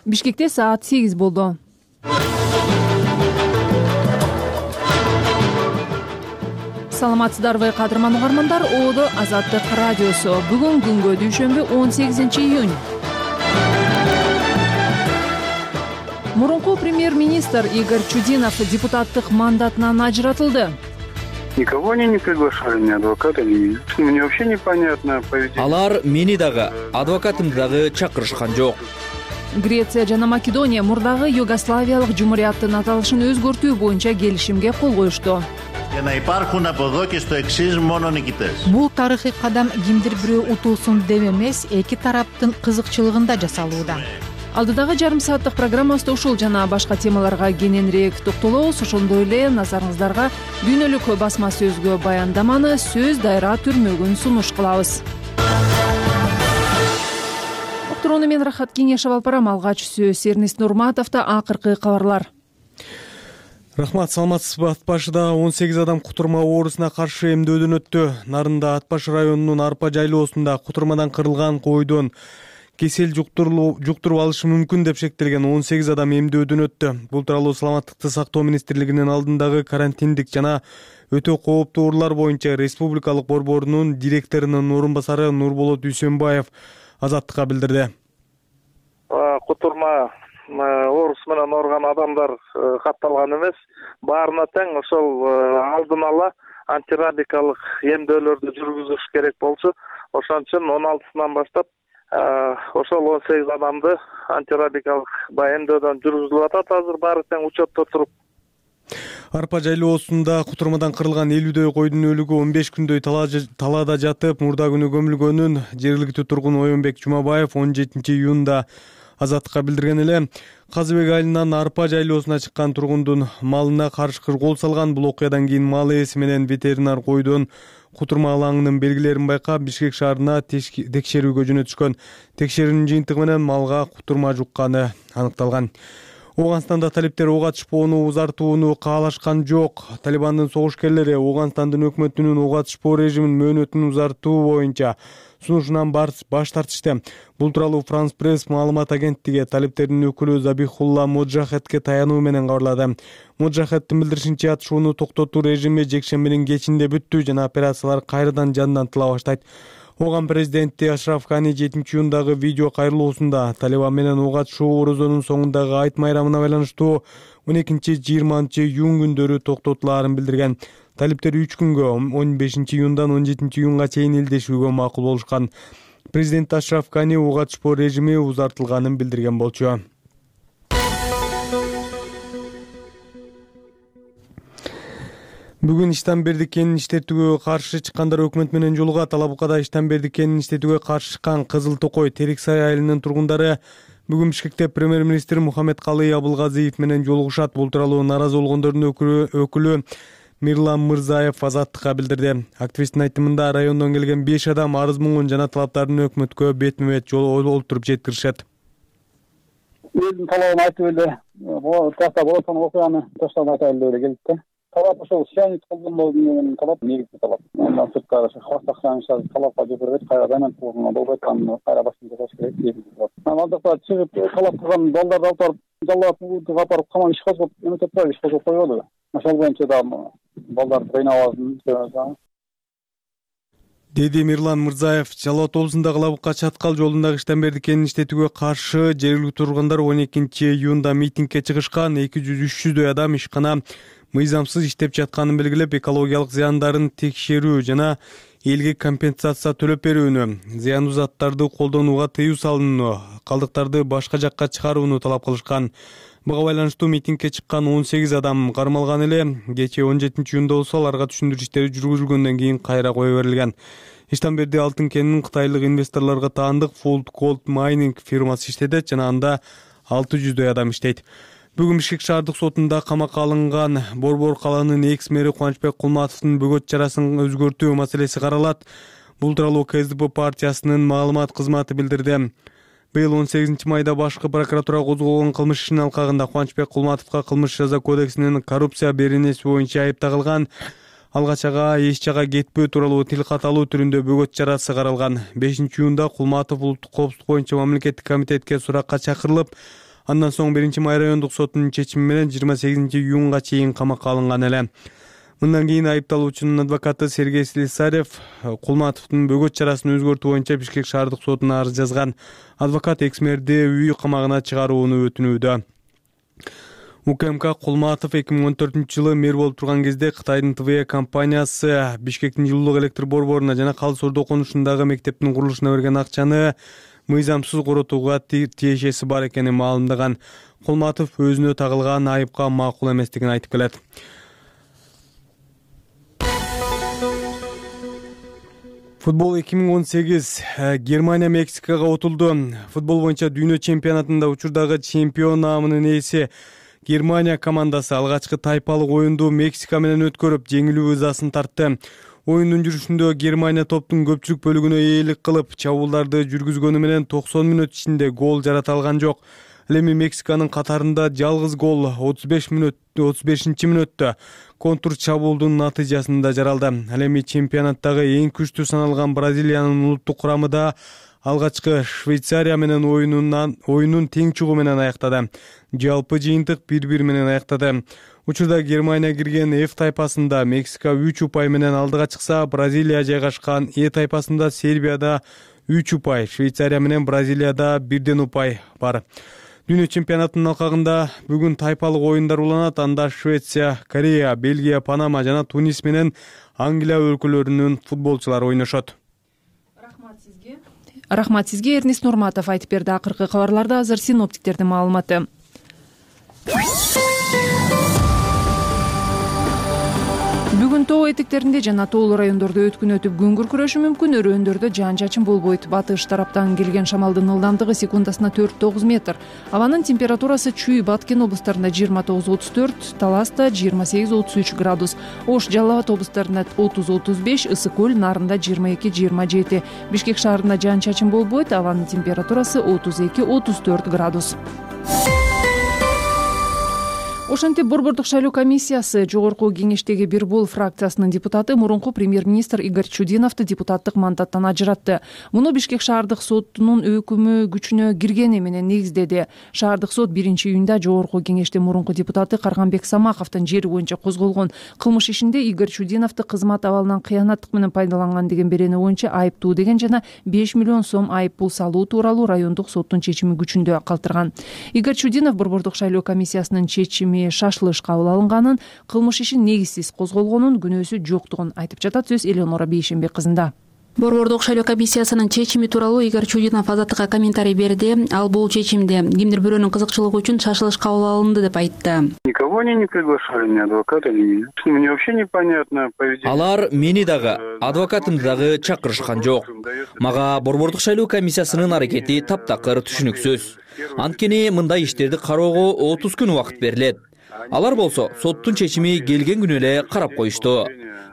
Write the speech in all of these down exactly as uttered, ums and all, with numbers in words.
Бишкекте саат сегиз болду. Саламатсыздарбы кадырман угармандар, Оодо Азаттык радиосу. Бүгүн күнгө дүйшөмбү он сегизинчи июнь. Мурунку премьер-министр Игорь Чудинов депутаттык мандатынан ажыратылды. Никого они не приглашали, ни адвоката, ни... Мне вообще непонятно поведение. Алар мени дагы, адвокатымды дагы чакырышкан жок. Греция жана Македония мурдагы Югославиялык жумурияттын аталышын өзгөртүү боюнча келишимге кол коюшту. Бул тарыхый кадам кимдир бирөө утулсун деп эмес, эки тараптын кызыкчылыгында жасалууда. Алдыдагы жарым сааттык программабызда ушул жана башка темаларга кененирээк токтолобуз. Ошондой эле назарыңыздарга дүйнөлүк басма сөзгө баяндаманы сөз дайра түрмөгүн сунуш кылабыз. Уктурууну мен Рахат Кеңешов алып барам. Алгач сөз Эрнест Нурматовдо акыркы кабарлар. Рахмат, саламатсызбы? Ат башыда он сегиз адам кутурма оорусуна каршы эмдөөдөн өттү. Нарында Ат башы районунун Арпа жайлоосунда кутурмадан кырылган койдон кесел жуктуруп алышы мүмкүн деп шектелген он сегиз адам эмдөөдөн өттү. Бул тууралуу Саламаттыкты сактоо министрлигинин алдындагы карантиндик жана өтө кооптуу оорулар боюнча республикалык борборунун директорунун орун басары Нурболот Дүйсөнбаев Азаттыкка билдирди. Кутурма оорусу менен ооруган адамдар катталган эмес, баарына тең ошол алдын ала антирабикалык эмдөөлөрдү жүргүзүш керек болчу. Ошон үчүн он алтысынан баштап ошол он сегиз адамды антирабикалык эмдөөдөн жүргүзүлүп атат. Азыр баары тең учетто туруп. Арпа жайлоосунда кутурмадан кырылган элүүдөй койдун өлүгү он беш күндөй талаада жатып, мурда күнү көмүлгөнүн жергиликтүү тургун Оюнбек Жумабаев он жетинчи июнда Азаттыкка билдирген эле. Казыбек айылынан Арпа жайлоосуна чыккан тургундун малына каршы кол салган. Бул окуядан кийин мал ээси менен ветеринар койдун кутурма алаңынын белгилерин байкап, Бишкек шаарына текшерүүгө жөнөтүшкөн. Текшерүүнүн жыйынтыгы менен малга кутурма жукканы аныкталган. Ооганстанда талиптер ок атышпоону узартууну каалашкан жок. Талибандын согушкерлери Ооганстандын өкмөтүнүн ок атышпоо режимин мөөнөтүн узартуу боюнча сунушунан баш тартышты. Бул тууралуу Франс Пресс маалымат агенттиги талиптердин өкүлү Забихулла Моджахедке таянуу менен кабарлады. Моджахеддин билдиришинче, атышууну токтотуу режими жекшембинин кечинде бүттү жана операциялар кайрадан жандан тыла баштайт. Ооган президенти Ашраф Гани жетинчи июндагы видео кайрылуусунда Талибан менен ок атышуу орозонун соңундагы айт майрамына байланыштуу он экинчи жыйырманчы июнь күндөрү токтотулаарын билдирген. Талиптер үч күнгө он бешинчи июндан он жетинчи июнга чейин илдешүүгө макул болушкан. Президент Ашраф Гани ок атышпоо режими узартылганын билдирген болчу. Бүгүн Иштанберди кенин иштетүүгө каршы чыккандар өкмөт менен жолугат. Алабукада Иштанберди кенин иштетүүгө каршы чыккан Кызыл Токой Териксай айылынын тургундары бүгүн Бишкекте премьер-министр Мухаммедкалый Абылгазиев менен жолугушат. Бул тууралуу нааразы болгондордун өкүлү Мирлан Мырзаев Азаттыкка билдирди. Активисттин айтымында райондон келген беш адам арыз муңун жана талаптарын өкмөткө бетме-бет жол олтуруп жеткиришет. Элдин талабын айтып эле, таштап отон окуяны таштап айтайлы деп эле келдик. Талап ошол сианид колдонбоодун талап негизги талап. Андан сырткары халыкка акчаны талапка жибербейт, кайрадан тургунга болбойт, аны кайра башын жасаш керек дейбиз. Андакта чыгып талап кылган балдарды алып барып, жаллап алып барып каман иш козгоп, эметип турат, иш козгоп койбоду. Ошол боюнча да балдарды кыйнабасын деди Мирлан Мырзаев. Жалал облусундагы Лабыкка Чаткал жолундагы Иштанберди кенин иштетүүгө каршы жергиликтүү тургундар он экинчи июнда митингге чыгышкан. эки жүз үч жүздөй адам ишкана мыйзамсыз иштеп жатканын белгилеп, экологиялык зыяндарын текшерүү жана элге компенсация төлөп берүүнү, зыяндуу заттарды колдонууга тыюу салууну, калдыктарды башка жакка чыгарууну талап кылышкан. Буга байланыштуу митингге чыккан он сегиз адам кармалган эле. Кечээ он жетинчи июнда болсо аларга түшүндүрүү иштери жүргүзүлгөндөн кийин кайра кое берилген. Иштанберди алтын кенинин кытайлык инвесторлорго таандык Fold Gold Mining фирмасы иштетет жана анда алты жүздөй адам иштейт. Бүгүн Бишкек шаардык сотунда камакка алынган Борбор калаанын экс-мэри Кубанычбек Кулматовдун бөгөт чарасын өзгөртүү маселеси каралат. Бул тууралуу КСДП партиясынын маалымат кызматы билдирди. Быйыл он сегизинчи майда башкы прокуратура козголгон кылмыш ишинин алкагында Кубанычбек Кулматовго кылмыш жаза кодексинин коррупция беренеси боюнча айып тагылган. Алгач ага эч жага кетпөө тууралуу тил каталуу түрүндө бөгөт чарасы каралган. бешинчи июнда Кулматов улуттук коопсуздук боюнча мамлекеттик комитетке суракка чакырылып, Андан соң биринчи май райондук сотунун чечими менен жыйырма сегизинчи июнга чейин камакка алынган эле. Мындан кийин айыпталуучунун адвокаты Сергей Слесарев Кулматовдун бөгөт чарасын өзгөртүү боюнча Бишкек шаардык сотуна арыз жазган. Адвокат экс-мэрди үй камагына чыгарууну өтүнүүдө. УКМК Кулматов эки миң он төртүнчү жылы мэр болуп турган кезде Кытайдын ТВЭ компаниясы Бишкектин жылуулук электр борборуна жана Калыс Ордо конушундагы мектептин курулушуна берген акчаны мыйзамсыз коротууга тиешеси бар экенин маалымдаган. Кулматов өзүнө тагылган айыпка макул эместигин айтып келет. Футбол эки миң он сегиз Германия Мексикага отулду. Футбол боюнча дүйнө чемпионатында учурдагы чемпион наамынын ээси Германия командасы алгачкы тайпалык оюнду Мексика менен өткөрүп, жеңилүү ызасын тартты. Оюндун жүрүшүндө Германия топтун көпчүлүк бөлүгүнө ээлик кылып, чабуулдарды жүргүзгөнү менен токсон мүнөт ичинде гол жарата алган жок. Ал эми Мексиканын катарында жалгыз гол отуз беш мүнөт отуз бешинчи мүнөттө контур чабуулдун натыйжасында жаралды. Ал эми чемпионаттагы эң күчтүү саналган Бразилиянын улуттук курамы да алгачкы Швейцария менен оюнунан оюнун тең чугу менен аяктады. Жалпы жыйынтык бир бир менен аяктады. Учурда Германия кирген F тайпасында Мексика үч упай менен алдыга чыкса, Бразилия жайгашкан E тайпасында Сербияда үч упай, Швейцария менен Бразилияда бирден упай бар. Дүйнө чемпионатынын алкагында бүгүн тайпалык оюндар уланат. Анда Швеция, Корея, Бельгия, Панама жана Тунис менен Англия өлкөлөрүнүн футболчулары ойношот. Рахмат сизге. Рахмат сизге Эрнис Нурматов айтып берди. Акыркы кабарларда азыр синоптиктердин маалыматы. Бүгүн тоо этектеринде жана тоолуу райондордо өткүн өтүп күн күркүрөшү мүмкүн. Өрөөндөрдө жаан-чачын болбойт. Батыш тараптан келген шамалдын ылдамдыгы секундасына төрт тогуз метр. Абанын температурасы Чүй, Баткен облустарында жыйырма тогуз отуз төрт, Таласта жыйырма сегиз отуз үч градус, Ош, Жалал Абад облустарында отуз отуз беш, Ысык көл, Нарында жыйырма эки жыйырма жети. Бишкек шаарында жаан-чачын болбойт. Абанын температурасы отуз эки отуз төрт градус. Ошентип Борбордук шайлоо комиссиясы жогорку кеңештеги Бир Бол фракциясынын депутаты мурунку премьер-министр Игорь Чудиновду депутаттык мандаттан ажыратты. Муну Бишкек шаардык сотунун өкүмү күчүнө киргени менен негиздеди. Шаардык сот биринчи июнда жогорку кеңештин мурунку депутаты Карганбек Самаковдун жери боюнча козголгон кылмыш ишинде Игорь Чудиновду кызмат абалынан кыянаттык менен пайдаланган деген берени боюнча айыптуу деген жана беш миллион сом айып пул салуу тууралуу райондук соттун чечими күчүндө калтырган. Игорь Чудинов Борбордук шайлоо комиссиясынын чечими шашылыш кабыл алынганын, кылмыш ишин негизсиз козголгонун, күнөөсү жоктугун айтып жатат. Сөз Элеонора Бейшенбек кызында. Борбордук шайлоо комиссиясынын чечими тууралуу Игорь Чудинов азаттыкка комментарий берди. Ал бул чечимде кимдир бирөөнүн кызыкчылыгы үчүн шашылыш кабыл алынды деп айтты. Никого они не приглашали, ни адвоката, ни... Мне вообще непонятно поведение. Алар мени дагы, адвокатымды дагы чакырышкан жок. Мага Борбордук шайлоо комиссиясынын аракети таптакыр түшүнүксүз. Анткени мындай иштерди кароого отуз күн убакыт берилет. Алар болсо соттун чечими келген күнү эле карап коюшту.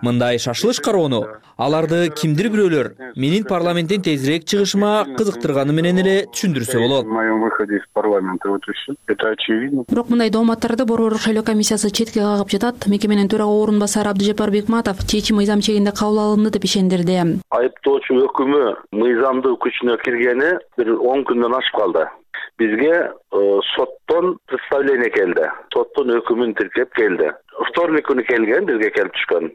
Мындай шашылыш кароону аларды кимдир бирөөлөр менин парламенттен тезирээк чыгышыма кызыктырганы менен эле түшүндүрсө болот. В моем выходе из парламента вот и всё. Это очевидно. Бирок мындай дооматтарды Борбордук шайлоо комиссиясы четке кагып жатат. Мекеменин төрага орун басары Абдыжапар Бекматов чечим мыйзам чегинде кабыл алынды деп ишендирди. Айыптоочу өкүмү мыйзамдуу күчүнө киргени бир он күндөн ашып калды. Бизге соттон представление келди. Соттун өкүмүн тиркеп келди. Вторник күнү келген, бизге келип түшкөн.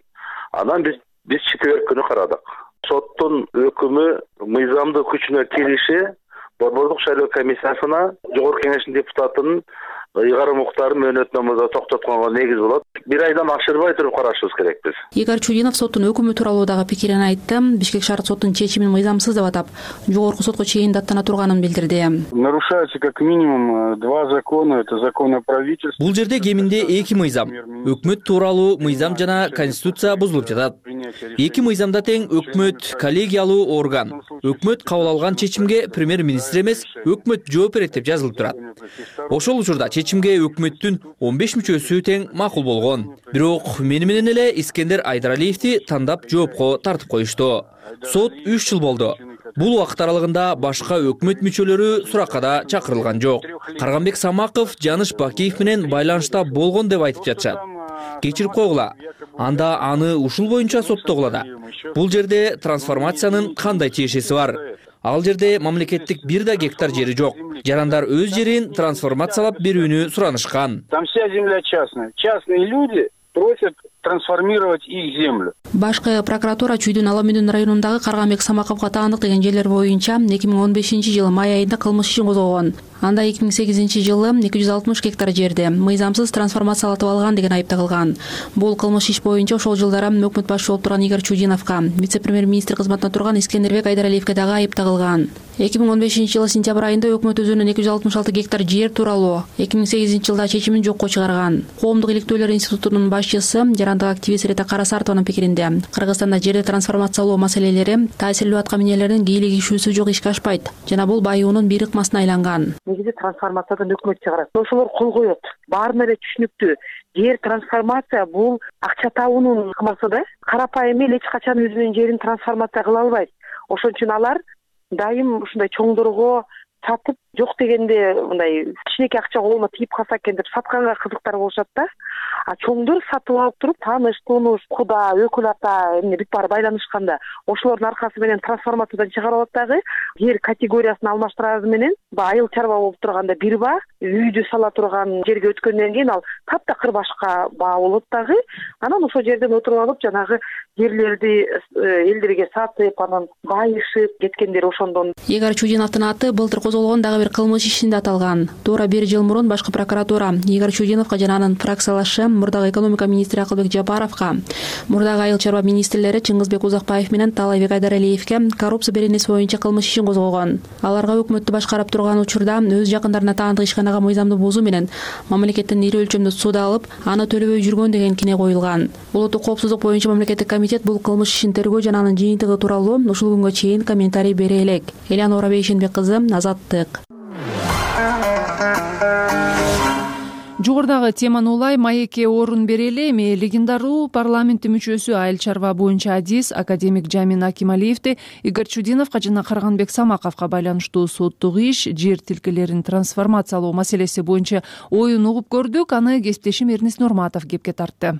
Анан биз биз четверг күнү карадык. Соттун өкүмү мыйзамдуу күчүнө кириши Борбордук шайлоо комиссиясына жогорку кеңештин депутатынын ыйгарым укуктарын мөөнөтномодо токтотконго негиз болот. Бир айдан ашырбай туруп карашыбыз керек биз. Игорь Чудинов соттун өкүмү тууралуу дагы пикирин айтты. Бишкек шаардык соттун чечимин мыйзамсыз деп атап, жогорку сотко чейин даттана турганын билдирди. Нарушается как минимум два закона, это закон о правительстве. Бул жерде кеминде эки мыйзам, өкмөт тууралуу мыйзам жана конституция бузулуп жатат. Эки мыйзамда тең өкмөт коллегиялуу орган. Өкмөт кабыл алган чечимге премьер-министр эмес, өкмөт жооп берет деп жазылып турат. Ошол учурда чечимге өкмөттүн он беш мүчөсү тең макул болгон. Бирок мени менен эле Искендер Айдаралиевди тандап жоопко тартып коюшту. Сот үч жыл болду. Бул убакыт аралыгында башка өкмөт мүчөлөрү суракка да чакырылган жок. Карганбек Самаков Жаныш Бакиев менен байланышта болгон деп айтып жатышат. Кечирип койгула. Анда аны ушул боюнча соттогула да. Бул жерде трансформациянын кандай тиешеси бар? Ал жерде мамлекеттик бир да гектар жери жок. Жарандар өз жерин трансформациялап берүүнү суранышкан. Там вся земля частная. Частные люди просят трансформировать их землю. Башкы прокуратура Чүйдүн Аламүндүн районундагы Карганбек Самаковго таандык деген жерлер боюнча эки миң он бешинчи жылы май айында кылмыш ишин козгогон. Анда эки миң сегизинчи жылы эки жүз алтымыш гектар жерди мыйзамсыз трансформациялатып алган деген айып тагылган. Бул кылмыш иш боюнча ошол жылдары өкмөт башчысы болуп турган Игорь Чудиновго, вице-премьер-министр кызматында турган Искендербек Айдаралиевге дагы айып тагылган. эки миң он бешинчи жылы сентябрь айында өкмөт өзүнүн эки жүз алтымыш алты гектар жер тууралуу эки миң сегизинчи жылда чечимин жокко чыгарган. Коомдук иликтөөлөр институтунун башчысы, жарандык активист Рета Карасартованын пикиринде, Кыргызстанда жерди трансформациялоо маселелери таасирлүү атка минерлердин кийлик ишүүсү жок ишке ашпайт жана бул байуунун бир ыкмасына айланган. Негизи трансформациядан өкмөт чыгарат. Ошолор кол коет. Баарына эле түшүнүктүү. Жер трансформация бул акча табуунун ыкмасы да. Карапайым эл эч качан өзүнүн жерин трансформация кыла албайт. Ошон үчүн алар дайым ушундай чоңдорго сатып, жок дегенде мындай кичинекей акча колуна тийип калса экен деп сатканга кызыктар болушат да. А чоңдор сатып алып туруп, тааныш, тунуш, куда, өкүл ата эмне бүт баары байланышканда, ошолордун аркасы менен трансформациядан чыгарып алат дагы. Жер категориясын алмаштырары менен айыл чарба болуп турганда бир баа, үйдү сала турган жерге өткөндөн кийин ал таптакыр башка баа болот дагы. Анан ошол жерден отуруп алып, жанагы жерлерди элдерге сатып, анан байышып кеткендер ошондон. Игорь Чудиновдун аты былтыр козголгон дагы бир кылмыш ишинде аталган. Туура бир жыл мурун башкы прокуратура Игорь Чудиновго жана анын фракциялашы мурдагы экономика министри Акылбек Жапаровго, мурдагы айыл чарба министрлери Чыңгызбек Узакбаев менен Таалайбек Айдаралиевге коррупция беренеси боюнча кылмыш ишин козгогон. Аларга өкмөттү башкарып турган учурда өз жакындарына таандык ишканага мыйзамды бузуу менен мамлекеттен ири өлчөмдө суда алып, аны төлөбөй жүргөн деген кине коюлган. Улуттук коопсуздук боюнча мамлекеттик комитет бул кылмыш ишин тергөө жана анын жыйынтыгы тууралуу ушул күнгө чейин комментарий бере элек. Элянора Бейшенбек кызы, Азаттык. Жогорудагы теманы улай маекке орун берели. Эми легендаруу парламенттин мүчөсү, айыл чарба боюнча адис академик Жамин Акималиевди Игорь Чудиновго жана Карганбек Самаковго байланыштуу соттук иш, жер тилкелерин трансформациялоо маселеси боюнча оюн угуп көрдүк. Аны кесиптешим Эрнис Нурматов кепке тартты.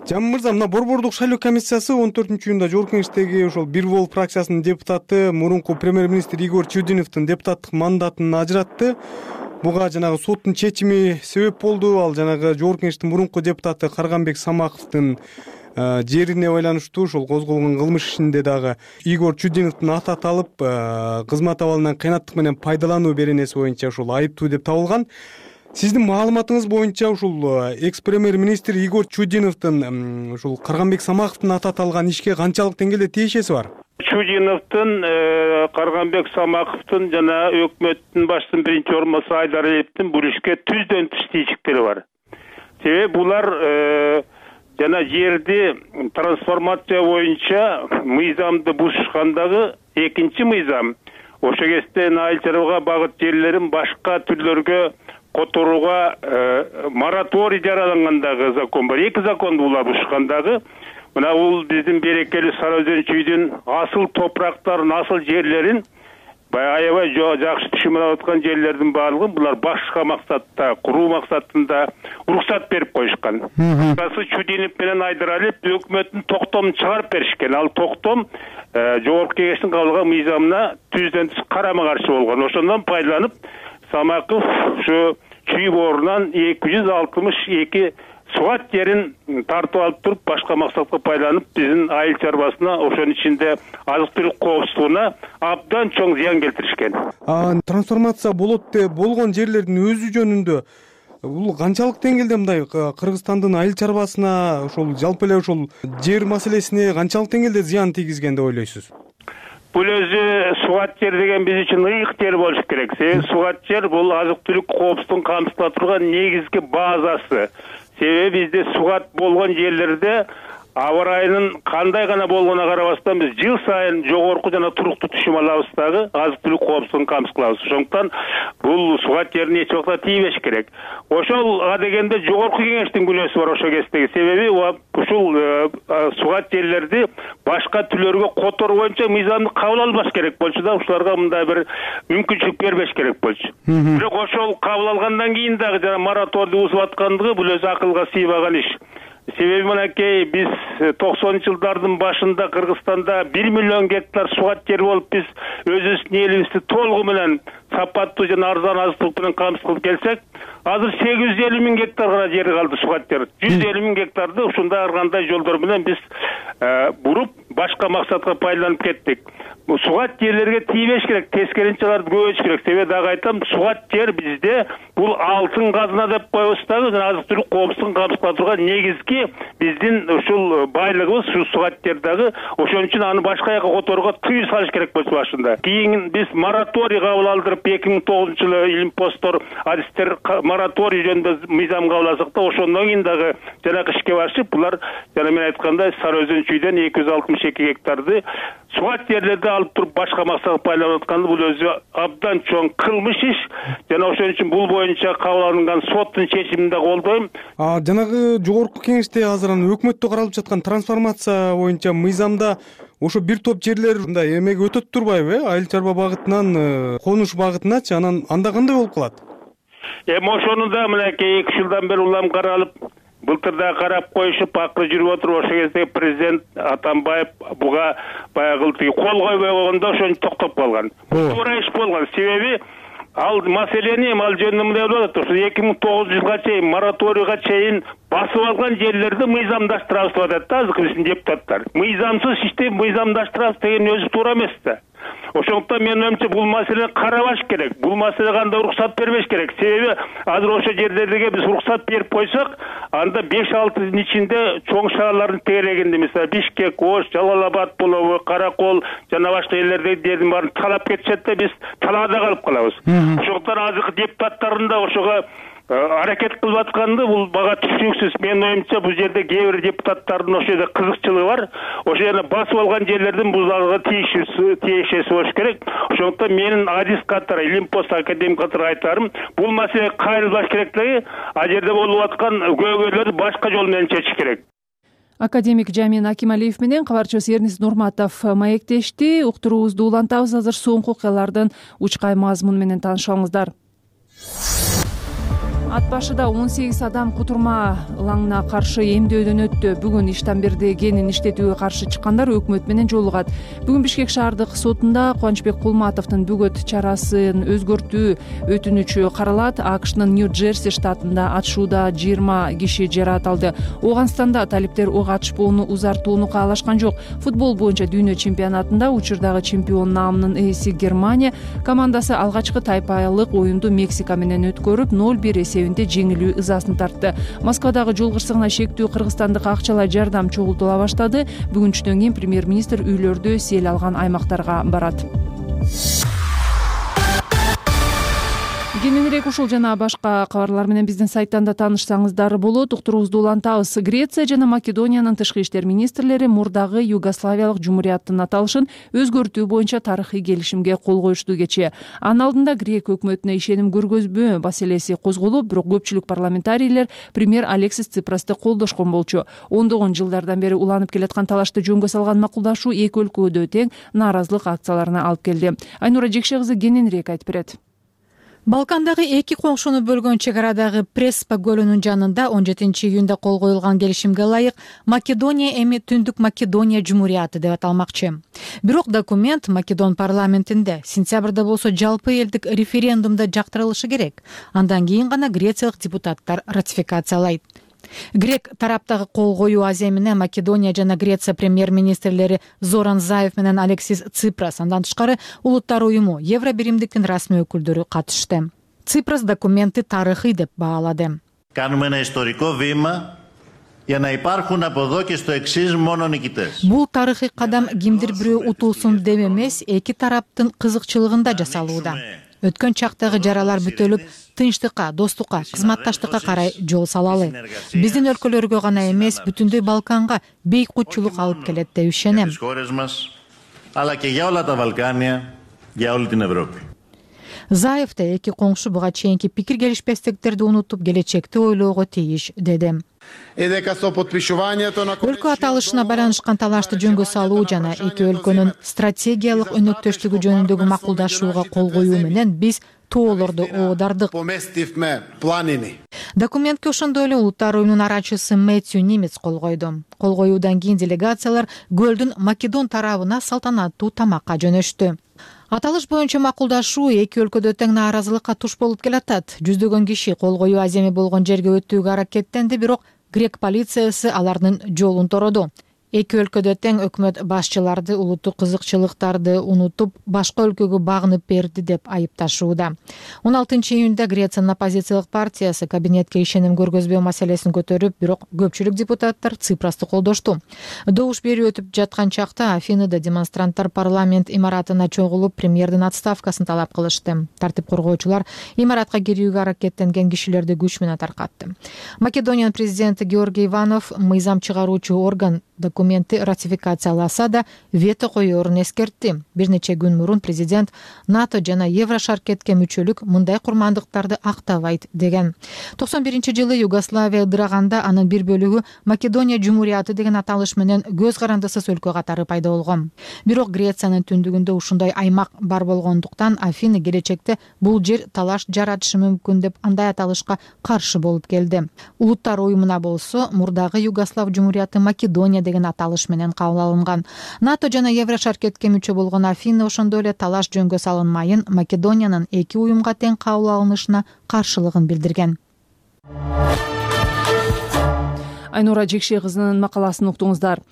Жамин мырза, мына борбордук шайлоо комиссиясы он төртүнчү июнда жогорку кеңештеги ошол Бир Бол фракциясынын депутаты, мурунку премьер-министр Игорь Чудиновдун депутаттык мандатын ажыратты. Буга жанагы соттун чечими себеп болду. Ал жанагы жогорку кеңештин мурунку депутаты Карганбек Самаковдун жерине байланыштуу ошол козголгон кылмыш ишинде дагы Игорь Чудиновдун аты аталып, кызмат абалынан кыйнаттык менен пайдалануу беренеси боюнча ошол айыптуу деп табылган. Сиздин маалыматыңыз боюнча ушул экс-премьер-министр Игорь Чудиновдун ушул Карганбек Самаковдун аты аталган ишке канчалык деңгээлде тиешеси бар? Чудиновдун, Карганбек Самаковдун жана өкмөттүн башчысынын биринчи орун басары Айдаралиевдин бул ишке түздөн түз тийиштиктери бар. Себеби булар жана жерди трансформация боюнча мыйзамды бузушкандагы экинчи мыйзам. Ошо кезде айыл чарбага багыт жерлерин башка түрлөргө которууга мораторий жаралангандагы закон бар. Эки законду булар бузушкандагы. Мына бул биздин берекелүү Сара Өзөн чүйдүн асыл топурактарын, асыл жерлерин, баягы аябай жакшы түшүм алып аткан жерлердин баардыгын булар башка максатта, куруу максатында уруксат берип коюшкан. Касы Чудинов менен Айдаралиев өкмөттүн токтомун чыгарып беришкен. Ал токтом жогорку кеңештин кабыл алган мыйзамына түздөн түз карама каршы болгон. Ошондон пайдаланып Самаков ушу чүй боорунан эки жүз алтымыш эки суат жерин тартып алып туруп, башка максатка пайдаланып, биздин айыл чарбасына, ошонун ичинде азык-түлүк коопсуздугуна абдан чоң зыян келтиришкен. Трансформация болот деп болгон жерлердин өзү жөнүндө бул канчалык деңгээлде мындай Кыргызстандын айыл чарбасына, ошол жалпы эле ошол жер маселесине канчалык деңгээлде зыян тийгизген деп ойлойсуз? Бул өзү суат жер деген биз үчүн ыйык жер болуш керек. Себеби суат жер бул азык-түлүк коопсуздугун камсыздап турган негизги базасы. Себеби бизде сугат болгон жерлерде аба ырайынын кандай гана болгонуна карабастан биз жыл сайын жогорку жана туруктуу түшүм алабыз дагы азык-түлүк коопсуздугун камсыз кылабыз. Ошондуктан бул сугат жерине эч убакта тийбеш керек. Ошол дегенде жогорку кеңештин күнөөсү бар ошол кездеги. Себеби ушул сугат жерлерди башка түрлөргө которуу боюнча мыйзамды кабыл албаш керек болчу да, ушуларга мындай бир мүмкүнчүлүк бербеш керек болчу. Бирок ошол кабыл алгандан кийин дагы жана мораторийди бузуп аткандыгы бул өзү акылга сыйбаган иш. себеби мынакей биз токсонунчу жылдардын башында Кыргызстанда бир миллион гектар сугат жер болуп биз өзүбүздүн элибизди толугу менен сапаттуу жана арзан азык түлүк менен камсыз кылып келсек, азыр сегиз жүз элүү миң гектар гана жери калды сугат жер. жүз элүү миң гектарды ушундай ар кандай жолдор менен биз буруп башка максатка пайдаланып кеттик. Сугат жерлерге тийбеш керек, тескерисинче аларды көбөйтүш керек. Себеби дагы айтам, сугат жер бизде бул алтын казына деп коебуз дагы, жана азык түлүк коопсуздугун камсыз кыла турган негизги биздин ушул байлыгыбыз, ушу сугат жер дагы. Ошон үчүн аны башка жака которууга тыюу салыш керек болчу башында. Кийин биз мораторий кабыл алдырып эки миң тогузунчу жылы илимпоздор, адистер мораторий жөнүндө мыйзам кабыл алдык да, ошондон кийин дагы жанакы ишке башып, булар жана мен айткандай Сары Өзөн чүйдөн эки жүз алтымыш эки гектарды сугат жерлерди алып туруп башка максатка пайдаланып атканды, бул өзү абдан чоң кылмыш иш. Жана ошон үчүн бул боюнча кабыл алынган соттун чечимин да колдойм. А жанагы жогорку кеңеште азыр аны өкмөттө каралып жаткан трансформация боюнча мыйзамда ошо бир топ жерлер мындай эмеге өтөт турбайбы, э? Айыл чарба багытынан конуш багытыначы, анан анда кандай болуп калат? Эми ошону да мынакей эки жылдан бери улам каралып, былтыр да карап коюшуп, акыры жүрүп отуруп, ошол кезде президент Атамбаев буга баягы тиги кол койбой койгондо ошентип токтоп калган. Туура иш болгон. Себеби ал маселени эми ал жөнүндө мындай болуп атат. Ошо эки миң тогузунчу жылга чейин мораторийга чейин басып алган жерлерди мыйзамдаштырабыз деп атат да азыр биздин депутаттар. Мыйзамсыз ишти мыйзамдаштырабыз деген өзү туура эмес да. Ошондуктан менин оюмча бул маселени карабаш керек. Бул маселеге кандай уруксат бербеш керек. Себеби азыр ошо жерлерге биз уруксат берип койсок, анда беш алты жылдын ичинде чоң шаарлардын тегерегинде, мисалы Бишкек, Ош, Жалал-Абад болобу, Каракол жана башка жерлердеги жердин баарын талап кетишет да, биз талаада калып калабыз. Ошондуктан азыркы депутаттардын да ошого аракет кылып атканды бул бага түшүнүксүз. Менин оюмча бул жерде кээ бир депутаттардын ошо жерде кызыкчылыгы бар. Ошо жерде басып алган жерлердин бузууга тиешеси болуш керек. Ошондуктан менин адис катары, илимпост академик катары айтарым, бул маселе кайрылбаш керек дагы, а жерде болуп аткан көйгөйлөрдү башка жол менен чечиш керек. Академик Жамин Акималиев менен кабарчыбыз Эрнис Нурматов маектешти. Уктуруубузду улантабыз. Азыр соңку окуялардын учкай мазмуну менен таанышыңыздар. Ат башыда он сегиз адам кутурма ылаңына каршы эмдөөдөн өттү. Бүгүн Иштамбирде генин иштетүүгө каршы чыккандар өкмөт менен жолугат. Бүгүн Бишкек шаардык сотунда Кубанычбек Кулматовдун бөгөт чарасын өзгөртүү өтүнүчү каралат. АКШнын Нью-Джерси штатында атышууда жыйырма киши жаракат алды. Ооганстанда талиптер ок атышпоону узартууну каалашкан жок. Футбол боюнча дүйнө чемпионатында учурдагы чемпион наамынын ээси Германия командасы алгачкы тайпалык оюнду Мексика менен өткөрүп ноль бир эсебинде жеңилүү ызасын тартты. Москвадагы жол кырсыгына шектүү кыргызстандык акчалай жардам чогултула баштады. Бүгүнчүдөн кийин премьер-министр үйлөрдү сел алган аймактарга барат. Кененирээк ушул жана башка кабарлар менен биздин сайттан да таанышсаңыздар болот. Уктуруубузду улантабыз. Греция жана Македониянын тышкы иштер министрлери мурдагы Югославиялык жумурияттын аталышын өзгөртүү боюнча тарыхый келишимге кол коюшту кечээ. Анын алдында грек өкмөтүнө ишеним көргөзбөө маселеси козголуп, бирок көпчүлүк парламентарийлер премьер Алексис Ципрасты колдошкон болчу. ондогон жылдардан бери уланып келаткан талашты жөнгө салган макулдашуу эки өлкөдө тең нааразылык акцияларына алып келди. Айнура Жекше кызы кененирээк айтып берет. Балкандагы эки коңшуну бөлгөн чек арадагы Преспа көлүнүн жанында он жетинчи июнда кол коюлган келишимге ылайык Македония эми Түндүк Македония жумурияты деп аталмакчы. Бирок документ Македон парламентинде сентябрда болсо жалпы элдик референдумда жактырылышы керек. Андан кийин гана грециялык депутаттар ратификациялайт. Грек тараптагы кол коюу аземине Македония жана Греция премьер-министрлери Зоран Заев менен Алексис Ципрас, андан тышкары Улуттар уюму, Евробиримдиктин расмий өкүлдөрү катышты. Ципрас документти тарыхый деп баалады. Κάνουμε ένα ιστορικό βήμα για να υπάρχουν από εδώ και στο εξής μόνο νικητές. Бул тарыхый кадам кимдир бирөө утулсун деп эмес, эки тараптын кызыкчылыгында жасалууда. Өткөн чактагы жаралар бүтөлүп, тынчтыкка, достукка, кызматташтыкка карай жол салалы. Биздин өлкөлөргө гана эмес, бүтүндөй Балканга бейкутчулук алып келет деп ишенем. Заев да эки коңшу буга чейинки пикир келишпестиктерди унутуп, келечекти ойлоого тийиш деди. Өлкө аталышына байланышкан талашты жөнгө салуу жана эки өлкөнүн стратегиялык өнөктөштүгү жөнүндөгү макулдашууга кол коюу менен биз тоолорду оодардык. Документке ошондой эле Улуттар уюмунун арачысы Мэтью Нимец кол койду. Кол коюудан кийин делегациялар көлдүн Македон тарабына салтанаттуу тамакка жөнөштү. Аталыш боюнча макулдашуу эки өлкөдө тең нааразылыкка туш болуп келатат. Жүздөгөн киши кол коюу аземи болгон жерге өтүүгө аракеттенди, бирок грек полициясы алардын жолун тороду. Эки өлкөдө тең өкмөт башчыларды улуттук кызыкчылыктарды унутуп, башка өлкөгө багынып берди деп айыпташууда. он алтынчы июнда Грециянын оппозициялык партиясы кабинетке ишеним көргөзбөө маселесин көтөрүп, бирок көпчүлүк депутаттар Ципрасты колдошту. Добуш берүү өтүп жаткан чакта Афинада демонстранттар парламент имаратына чогулуп, премьердин отставкасын талап кылышты. Тартип коргоочулар имаратка кирүүгө аракеттенген кишилерди күч менен таркатты. Македониянын президенти Георгий Иванов мыйзам чыгаруучу орган документти ратификацияласа да вето коерун эскертти. Бир нече күн мурун президент НАТО жана Еврошаркетке мүчөлүк мындай курмандыктарды актабайт деген. токсон биринчи жылы Югославия ыдыраганда анын бир бөлүгү Македония Жумурияты деген аталыш менен көз карандысыз өлкө катары пайда болгон. Бирок Грециянын түндүгүндө ушундай аймак бар болгондуктан Афина келечекте бул жер талаш жаратышы мүмкүн деп андай аталышка каршы болуп келди. Улуттар уюмуна болсо мурдагы Югослав Жумурияты Македония деген аталыш менен кабыл алынган. НАТО жана Еврошаркетке мүчө болгон Афина ошондой эле талаш жөнгө салынмайын Македониянын эки уюмга тең кабыл алынышына каршылыгын билдирген. Айнура Жекше кызынын макаласын уктуңуздар.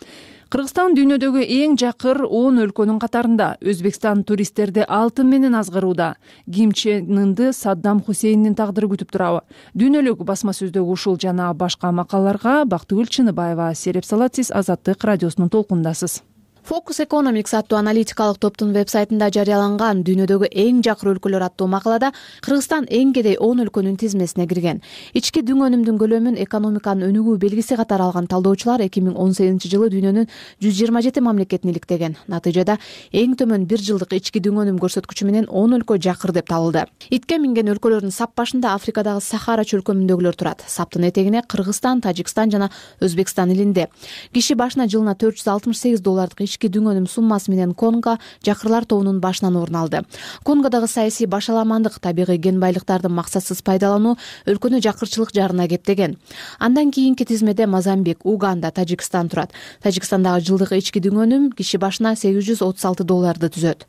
Кыргызстан дүйнөдөгү эң жакыр он өлкөнүн катарында. Өзбекстан туристтерди алтын менен азгырууда. Ким Чен Ынды Саддам Хусейндин тагдыры күтүп турабы? Дүйнөлүк басма сөздөгү ушул жана башка макалаларга Бактыгүл Чыныбаева сереп салат. Сиз Азаттык радиосунун толкундасыз. Focus Economics аттуу аналитикалык топтун вебсайтында жарыяланган дүйнөдөгү эң жакыр өлкөлөр аттуу макалада Кыргызстан эң кедей он өлкөнүн тизмесине кирген. Ички дүң өнүмдүн көлөмүн экономиканын өнүгүү белгиси катары алган талдоочулар эки миң он сегизинчи жылы дүйнөнүн жүз жыйырма жети мамлекетин иликтеген. Натыйжада эң төмөн бир жылдык ички дүң өнүм көрсөткүчү менен он өлкө жакыр деп табылды. Итке минген өлкөлөрдүн сап башында Африкадагы Сахара чөлкөмүндөгүлөр турат. Саптын этегине Кыргызстан, Тажикстан жана Өзбекстан илинде. Киши башына жылына төрт жүз алтымыш сегиз доллардык ички дүң өнүм суммасы менен Конго жакырлар тобунун башынан орун алды. Конгодагы саясий башаламандык, табигый кен байлыктарды максатсыз пайдалануу өлкөнү жакырчылык жарына кептеген. Андан кийинки тизмеде Мозамбик, Уганда, Тажикстан турат. Тажикстандагы жылдык ички дүң өнүм киши башына сегиз жүз отуз алты долларды түзөт.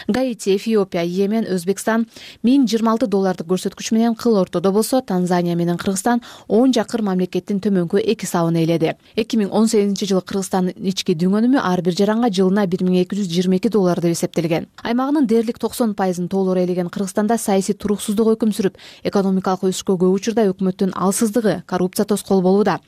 Гаити, Эфиопия, Йемен, Өзбекстан миң жыйырма алты доллардык көрсөткүч менен кыл ортодо болсо, Танзания менен Кыргызстан он жакыр мамлекеттин төмөнкү эки сабын ээледи. эки миң он сегизинчи жылы Кыргызстандын ички дүң өнүмү ар бир жаранга жылына бир миң эки жүз жыйырма эки доллар деп эсептелген. Аймагынын дээрлик токсон пайызын толук ээлеген Кыргызстанда саясий туруксуздук өкүм сүрүп, экономикалык өсүшкө көп учурда өкмөттүн алсыздыгы, коррупция тоскоол болууда.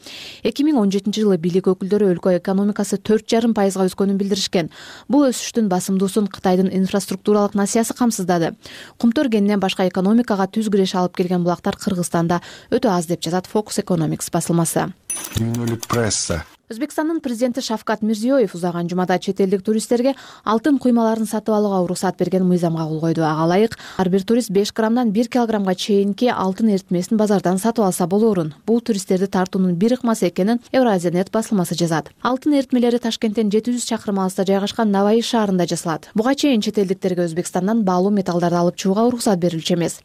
эки миң он жетинчи жылы бийлик өкүлдөрү өлкө экономикасы төрт жарым пайызга өскөнүн билдиришкен. Бул өсүштүн басымдуусун Кытайдын инфраструктуралык насыясы камсыздады. Кумтөр кенинен башка экономикага түз киреш алып келген булактар Кыргызстанда өтө аз деп жазат Focus Economics басылмасы. Дүйнөлүк пресса. Өзбекстандын президенти Шавкат Мирзиёев узаган жумада чет элдик туристтерге алтын куймаларын сатып алууга уруксат берген мыйзамга кол койду. Ага ылайык ар бир турист беш граммдан бир килограммга чейинки алтын эритмесин базардан сатып алса болоорун. Бул туристтерди тартуунун бир ыкмасы экенин Евразия.нет басылмасы жазат. Алтын эритмелери Ташкенттен жети жүз чакырым алыста жайгашкан Наваи шаарында жасалат. Буга чейин чет элдиктерге Өзбекстандан баалуу металлдарды алып чыгууга уруксат берилчү эмес.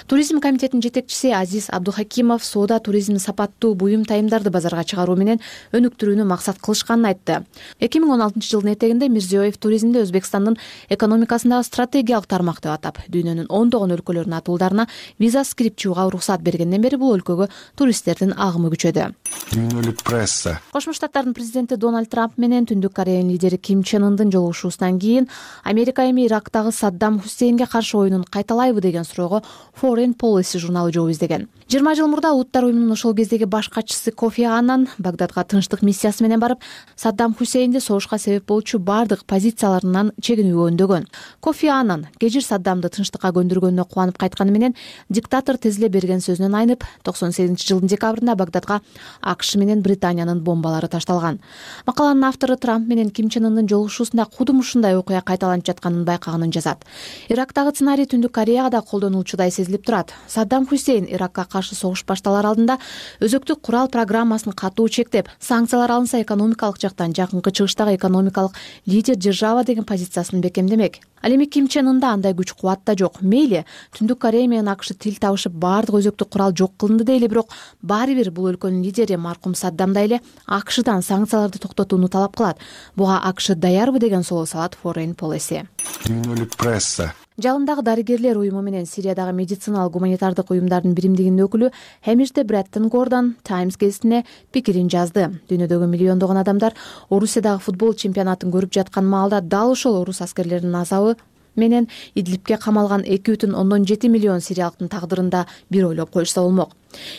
Туризм комитетинин жетекчиси Азиз Абдухакимов соода туризм сапаттуу буюм тайымдарды базарга чыгаруу менен өнүктүрүүнү максат кылышканын айтты. эки миң он алтынчы жылдын этегинде Мирзиёев туризмди Өзбекстандын экономикасындагы стратегиялык тармак деп атап, дүйнөнүн ондогон өлкөлөрүнүн атуулдарына визасыз кирип чыгууга уруксат бергенден бери бул өлкөгө туристтердин агымы күчөдү. Дүйнөлүк пресса. Кошмо Штаттардын президенти Дональд Трамп менен Түндүк Кореянын лидери Ким Чен Ындын жолугушуусунан кийин Америка эми Ирактагы Саддам Хусейнге каршы оюнун кайталайбы деген суроого Foreign Policy журналы жооп издеген. жыйырма жыл мурда Улуттар уюмунун ошол кездеги баш катчысы Кофи Аннан Багдадга тынчтык миссиясы менен барып, Саддам Хусейнди согушка себеп болчу бардык позицияларынан чегинүүгө үндөгөн. Кофи Аннан кежир Саддамды тынчтыкка көндүргөнүнө кубанып кайтканы менен диктатор тезиле берген сөзүнөн айнып, токсон сегизинчи жылдын декабрында Багдадга АКШ менен Британиянын бомбалары ташталган. Макаланын автору Трамп менен Ким Чен Ындын жолугушуусунда кудум ушундай окуя кайталанып жатканын байкаганын жазат. Ирактагы сценарий Түндүк Кореяга да колдонулчудай сезилип турат. Саддам Хусейн Иракка каршы согуш башталар алдында өзөктүк курал программасын катуу чектеп, санкциялар чаралар алынса экономикалык жактан жакынкы чыгыштагы экономикалык лидер держава деген позициясын бекемдемек. Ал эми Ким Чен Ында андай күч кубат да жок. Мейли Түндүк Корея менен АКШ тил табышып баардык өзөктүк курал жок кылынды дейли, бирок баары бир бул өлкөнүн лидери маркум Саддам да эле АКШдан санкцияларды токтотууну талап кылат. Буга АКШ даярбы деген суроо салат Foreign Policy. Дүйнөлүк пресса. Жалындагы дарыгерлер уюму менен Сириядагы медициналык гуманитардык уюмдардын биримдигинин өкүлү Хэмишде Бреттон Гордон Times гезитине пикирин жазды. Дүйнөдөгү миллиондогон адамдар Орусиядагы футбол чемпионатын көрүп жаткан маалда дал ошол орус аскерлеринин азабы менен Идлибке камалган эки бүтүн ондон жети миллион сириялыктын тагдырында бир ойлоп коюшса болмок.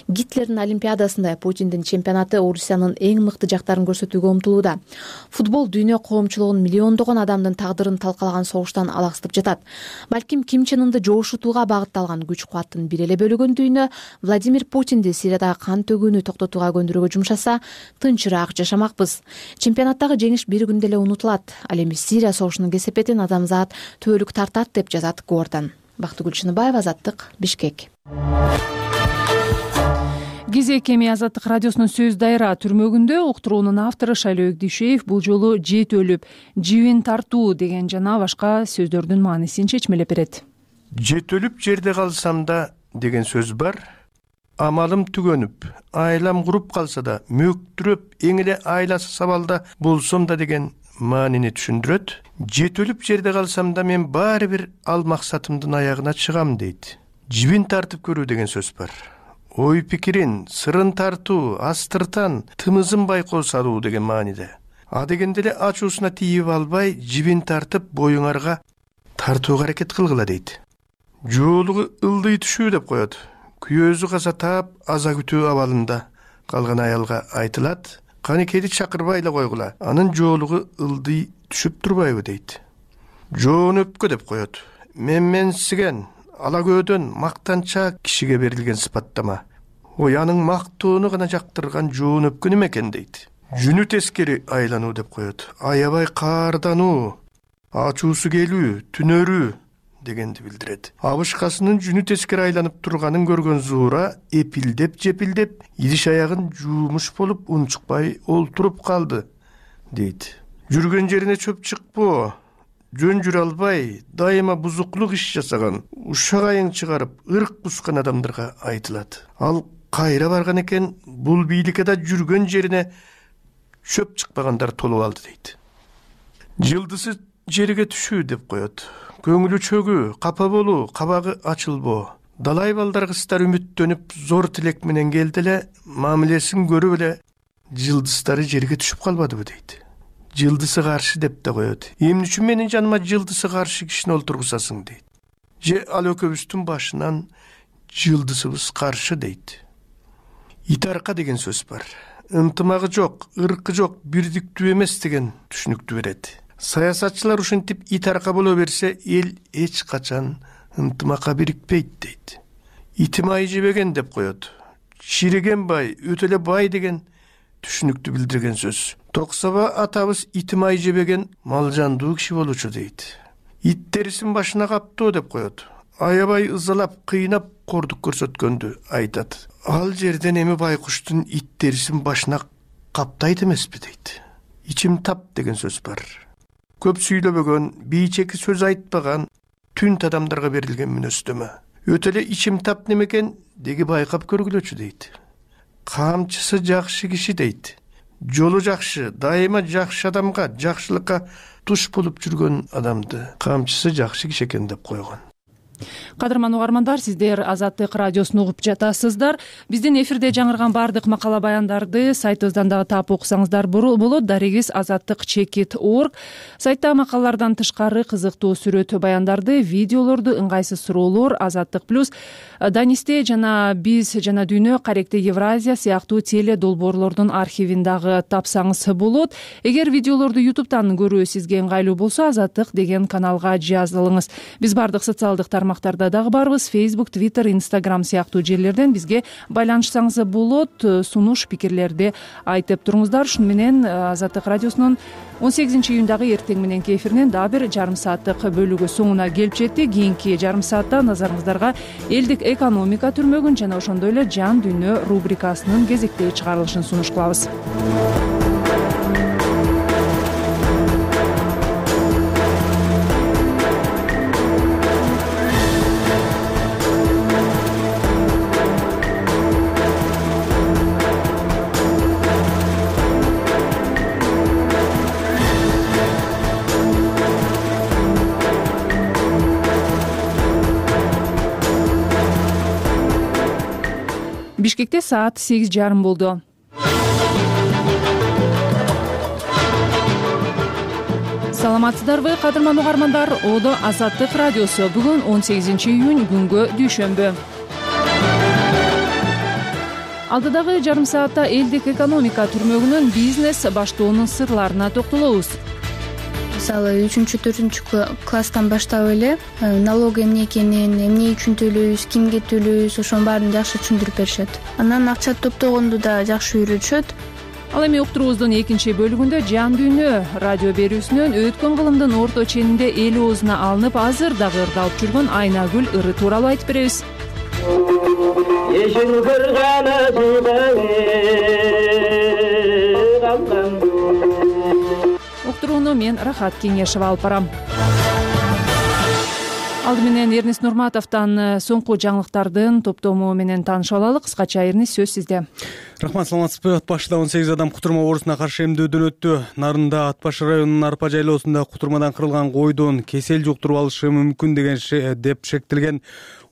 Гитлердин Олимпиадасында Путиндин чемпионаты Орусиянын эң мыкты жактарын көрсөтүүгө умтулууда. Футбол дүйнө коомчулугунун миллиондогон адамдын тагдырын талкалаган согуштан алаксытып жатат. Балким Ким Чен Ынды жоошутууга багытталган күч кубаттын бир эле бөлүгүн дүйнө Владимир Путинди Сириядагы кан төгүүнү токтотууга көндүрүүгө жумшаса, тынчыраак жашамакпыз. Чемпионаттагы жеңиш бир күндө эле унутулат. Ал эми Сирия согушунун кесепетин адамзат түбөлүк тартат деп жазат Гордон. Бактыгүл Чыныбаева, Азаттык, Бишкек. Кезек эми Азаттык радиосунун сөз дайра түрмөгүндө уктуруунун автору Шайлоо Өкдүшеев бул жолу жет өлүп, жибин тартуу деген жана башка сөздөрдүн маанисин чечмелеп берет. Жет өлүп жерде калсам да деген сөз бар. Амалым түгөнүп, айлам куруп калса да, мөктүрөп, эң эле айласы сабалда болсом да деген маанини түшүндүрөт. Жет өлүп жерде калсам да мен баары бир ал максатымдын аягына чыгам дейт. Жибин тартып көрүү деген сөз бар. Ой пикирин, сырын тартуу, астыртан, тымызын байкоо салуу деген мааниде. А дегенде эле ачуусуна тийип албай, жибин тартып боюңарга тартууга аракет кылгыла дейт. Жоолугу ылдый түшүү деп коет. Күйөөзү каза таап, аза күтүү абалында калган аялга айтылат. Канекеди чакырбай эле койгула, анын жоолугу ылдый түшүп турбайбы дейт. Жоон өпкө деп коет. Менменсиген, ала көөдөн мактанчаак кишиге берилген сыпаттама. Ой, анын мактоону гана жактырган жоон өпкө неме экен дейт. Жүнү тескери айлануу деп коет. Аябай каардануу, ачуусу келүү, түнөрүү дегенди билдирет. Абышкасынын жүнү тескери айланып турганын көргөн Зуура эпилдеп жепилдеп, идиш аягын жуумуш болуп унчукпай олтуруп калды дейт. Жүргөн жерине чөп чыкпоо, жөн жүрө албай, дайыма бузуклук иш жасаган, ушак айың чыгарып, ырк бускан адамдарга айтылат. Ал кайра барган экен, бул бийликеде жүргөн жерине чөп чыкпагандар толуп алды дейт. Жылдысы жерге түшүү деп коет. Көңүлү чөгүү, капа болуу, кабагы ачылбоо. Далай балдар кыздар үмүттөнүп, зор тилек менен келди эле, мамилесин көрүп эле, жылдыздары жерге түшүп калбадыбы дейт. Жылдысы каршы деп да коет. Эмне үчүн менин жаныма жылдысы каршы кишини олтургузасың дейт. Же ал экөөбүздүн башынан жылдысыбыз каршы дейт. Итарка деген сөз бар. Ынтымагы жок, ыркы жок, бирдиктүү эмес деген түшүнүктү берет. Саясатчылар ушинтип итарка боло берсе, эл эч качан ынтымакка бирикпейт дейт. Итим ай жебеген деп коет. Шириген бай, өтө эле бай деген түшүнүктү билдирген сөз. Токсоба атабыз итим ай жебеген малжандуу киши болчу дейт. Ит терисин башына каптоо деп коет. Аябай ызалап, кыйнап кордук көрсөткөндү айтат. Ал жерден эми байкуштун ит терисин башына каптайт эмеспи дейт. Ичим тап деген сөз бар. Көп сүйлөбөгөн, бийчеки сөз айтпаган, түнт адамдарга берилген мүнөздөмө. Өтө эле ичим тап немекен деги байкап көргүлөчү дейт. Камчысы жакшы киши дейт. Жолу жакшы, дайыма жакшы адамга, жакшылыкка туш болуп жүргөн адамды камчысы жакшы киши экен деп койгон. Кадырман угармандар, сиздер Азаттык радиосун угуп жатасыздар. Биздин эфирде жаңырган баардык макала баяндарды сайтыбыздан дагы таап окусаңыздар болот. Дарегиз азаттык чекит точка орг. Сайтта макалалардан тышкары кызыктуу сүрөт баяндарды, видеолорду, ыңгайсыз суроолор, Азаттык плюс, Данисте жана биз жана дүйнө, Каректе Евразия сыяктуу теле долбоорлордун архивин дагы тапсаңыз болот. Эгер видеолорду ютубтан көрүү сизге ыңгайлуу болсо, Азаттык деген каналга жазылыңыз. Биз баардык социалдык тармактарда дагы барбыз. Facebook, Twitter, Instagram сыяктуу жерлерден бизге байланышсаңыз болот. Сунуш пикирлерди айтып туруңуздар. Шуну менен Азаттык радиосунун он сегизинчи июндагы эртең мененки эфиринен дагы бир жарым сааттык бөлүгү соңуна келип жетти. Кийинки жарым саатта назарыңыздарга элдик экономика түрмөгүн жана ошондой эле жан дүйнө рубрикасынын кезектеги чыгарылышын сунуш кылабыз. Бишкекте саат сегиз жарым болду. Саламатсыздарбы, кадырман угармандар? Одо Азаттык радиосу. Бүгүн он сегизинчи июнь, күнгө дүйшөмбү. Алдыдагы жарым саатта элдик экономика түрмөгүнүн бизнес баштоонун сырларына токтолобуз. Мисалы үчүнчү төртүнчү класстан баштап эле налог эмне экенин, эмне үчүн төлөйбүз, кимге төлөйбүз, ошонун баарын жакшы түшүндүрүп беришет. Анан акча топтогонду да жакшы үйрөтүшөт. Ал эми уктуруубуздун экинчи бөлүгүндө Жан дүйнө радио берүүсүнөн өткөн кылымдын орто ченинде эл оозуна алынып, азыр дагы ырдалып жүргөн Айнагүл ыры тууралуу айтып беребиз. Уктурууну мен Рахат Кеңешова алып барам. Алды менен Эрнис Нурматовдон соңку жаңылыктардын топтому менен таанышып алалы. Кыскача Эрнис, сөз сизде. Рахмат, саламатсызбы? Ат башыда он сегиз адам кутурма оорусуна каршы эмдөөдөн өттү. Нарында Ат башы районунун Арпа жайлоосунда кутурмадан кырылган койдон кесел жуктуруп алышы мүмкүн деген деп шектелген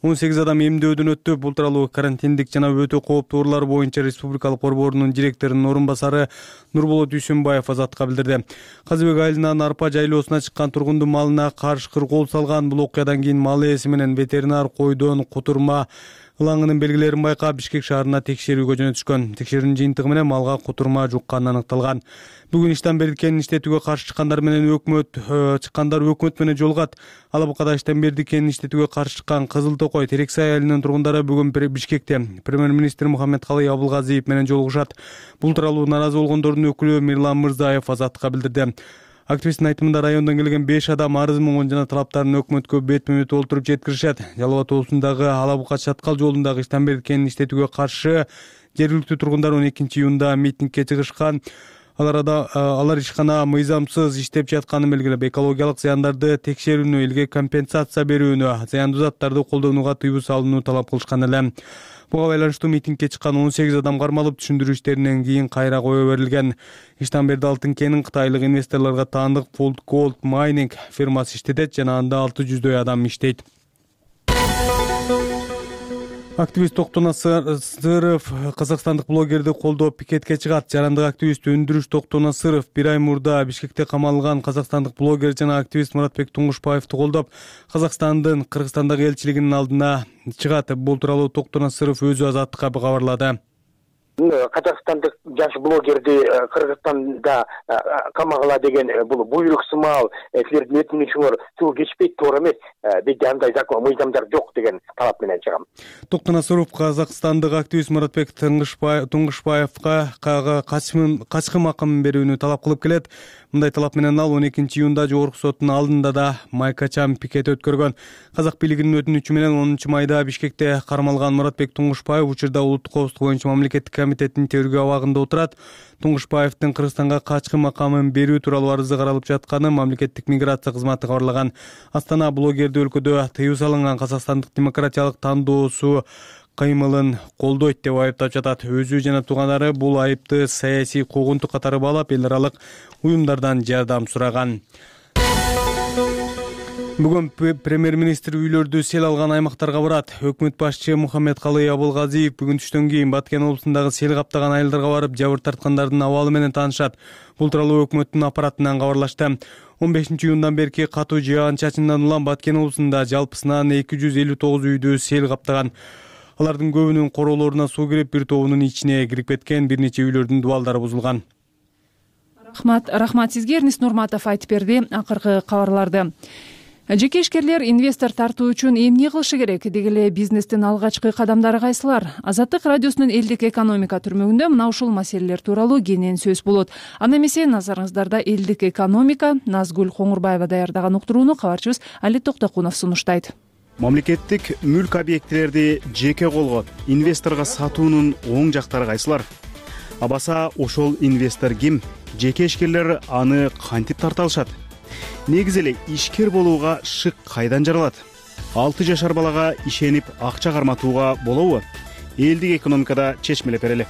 он сегиз адам эмдөөдөн өттү. Бул тууралуу карантиндик жана өтө кооптуу оорулар боюнча Республикалык борборунун директорунун орун басары Нурболот Дүйсөнбаев Азаттыкка билдирди. Казыбек айылынан Арпа жайлоосуна чыккан тургундун малына каршы кыргоол салган. Бул окуядан кийин мал ээси менен ветеринар койдон кутурма ылаңынын белгилерин байкап Бишкек шаарына текшерүүгө жөнөтүшкөн. Текшерүүнүн жыйынтыгы менен малга кутурма жукканы аныкталган. Бүгүн иштен бердикенин иштетүүгө каршы чыккандар менен өкмөт чыккандар өкмөт менен жолугат. Алабукада иштен бердикенин иштетүүгө каршы чыккан Кызыл Токой Терексай айылынын тургундары бүгүн Бишкекте премьер-министр Мухаммедкалый Абылгазиев менен жолугушат. Бул тууралуу нааразы болгондордун өкүлү Мирлан Мырзаев Азаттыкка билдирди. Активисттин айтымында райондон келген беш адам арыз муңун жана талаптарын өкмөткө бетме бет олтуруп жеткиришет. Жалал Абад облусундагы Алабука Чаткал жолундагы иштен бердикенин иштетүүгө каршы жергиликтүү тургундар он экинчи июнда митингге чыгышкан. Алар алар ишкана мыйзамсыз иштеп жатканын белгилеп, экологиялык зыяндарды текшерүүнү, элге компенсация берүүнү, зыяндуу заттарды колдонууга тыюу салууну талап кылышкан эле. Буга байланыштуу митингге чыккан он сегиз адам кармалып, түшүндүрүү иштеринен кийин кайра кое берилген. Иштен берди алтын кенин кытайлык инвесторлорго таандык Fold Gold Mining фирмасы иштетет жана анда алты жүздөй адам иштейт. Активист Токтон Асыров казакстандык блогерди колдоп пикетке чыгат. Жарандык активист Өндүрүш Токтон Асыров бир ай мурда Бишкекте камалган казакстандык блогер жана активист Муратбек Туңгушбаевди колдоп, Казакстандын Кыргызстандагы элчилигинин алдына чыгат. Бул тууралуу Токтон Асыров өзү Азаттыкка кабарлады. Казакстандык жаш блогерди Кыргызстанда камагыла деген бул буйрук сымал силердин өтүнүшүңөр суу кечпейт, туура эмес, бизде андай закон мыйзамдар жок деген талап менен чыгам. Токтон Асыров казакстандык активист Муратбек Туңгушбаевга качкын акымын берүүнү талап кылып келет. Мындай талап менен ал он экинчи июнда жогорку соттун алдында да майкачам пикет өткөргөн. Казак бийлигинин өтүнүчү менен онунчу майда Бишкекте кармалган Муратбек Туңгушбаев учурда улуттук коопсуздук боюнча мамлекеттик комитеттин тергөө абагында отурат. Туңгушбаевдин Кыргызстанга качкын макамын берүү тууралуу арызы каралып жатканын мамлекеттик миграция кызматы кабарлаган. Астана блогерди өлкөдө тыюу салынган Казакстандык демократиялык тандоосу кыймылын колдойт деп айыптап жатат. Өзү жана туугандары бул айыпты саясий куугунтук катары баалап, эл аралык уюмдардан жардам сураган. Бүгүн премьер-министр үйлөрдү сел алган аймактарга барат. Өкмөт башчы Мухаммедкалый Абылгазиев бүгүн түштөн кийин Баткен облусундагы сел каптаган айылдарга барып, жабыр тарткандардын абалы менен таанышат. Бул тууралуу өкмөттүн аппаратынан кабарлашты. он бешинчи июндан берки катуу жаан чачындан улам Баткен облусунда жалпысынан эки жүз элүү тогуз үйдү сел каптаган. Алардын көбүнүн короолоруна суу кирип, бир тобунун ичине кирип кеткен, бир нече үйлөрдүн дубалдары бузулган. Рахмат, рахмат сизге. Эрнис Нурматов айтып берди акыркы кабарларды. Жеке ишкерлер инвестор тартуу үчүн эмне кылышы керек? Деги эле бизнестин алгачкы кадамдары кайсылар? Азаттык радиосунун элдик экономика түрмөгүндө мына ушул маселелер тууралуу кенен сөз болот. Анда эмесе назарыңыздарда элдик экономика, Назгүл Коңурбаева даярдаган уктурууну кабарчыбыз Али Токтокунов сунуштайт. Мамлекеттик мүлк объектилерди жеке колго инвесторго сатуунун оң жактары кайсылар? Абаса ошол инвестор ким? Жеке ишкерлер аны кантип тарта алышат? Негизи эле ишкер болууга шык кайдан жаралат? алты жашар балага ишенип акча карматууга болобу? Элдик экономикада чечмелеп берели.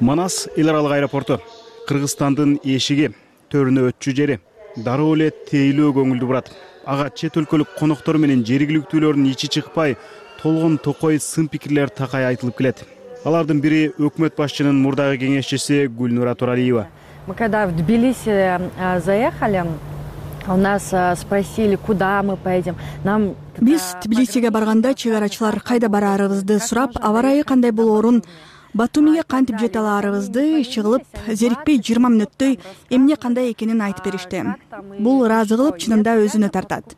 Манас эл аралык аэропорту, Кыргызстандын эшиги, төрүнө өтчү жери. дароо эле тейлөө көңүлдү бурат. Ага чет өлкөлүк коноктор менен жергиликтүүлөрдүн ичи чыкпай, толгон токой сын пикирлер такай айтылып келет. Алардын бири өкмөт башчынын мурдагы кеңешчиси Гүлнура Туралиева. Мы когда в Тбилиси заехали, у нас спросили, куда мы поедем. Нам Биз Тбилисиге барганда чыгарачылар кайда бараарыбызды сурап, аба ырайы кандай болоорун, Батумиге кантип жете алаарыбызды чыгылып, зерикпей жыйырма мүнөттөй эмне кандай экенин айтып беришти. Бул ыраазы кылып, чынында өзүнө тартат.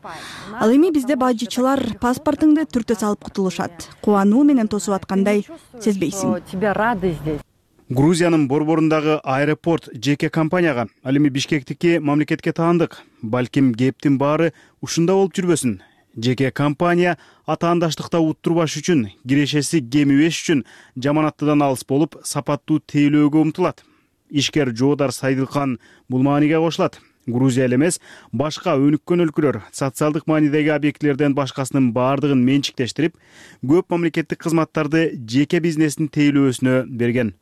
Ал эми бизде бажычылар паспортуңду түртө салып кутулушат. Кубануу менен тосуп аткандай сезбейсиң. Тебе рады здесь. Грузиянын борборундагы аэропорт жеке компанияга, ал эми Бишкектики мамлекетке таандык. Балким кептин баары ушунда болуп жүрбөсүн. Жеке компания атаандаштыкта уттурбаш үчүн, кирешеси кемибеш үчүн жаманаттыдан алыс болуп, сапаттуу тейлөөгө умтулат. Ишкер Жоодар Сайдылкан бул мааниге кошулат. Грузия эле эмес, башка өнүккөн өлкөлөр социалдык маанидеги объектилерден башкасынын баардыгын менчиктештирип, көп мамлекеттик кызматтарды жеке бизнестин тейлөөсүнө берген.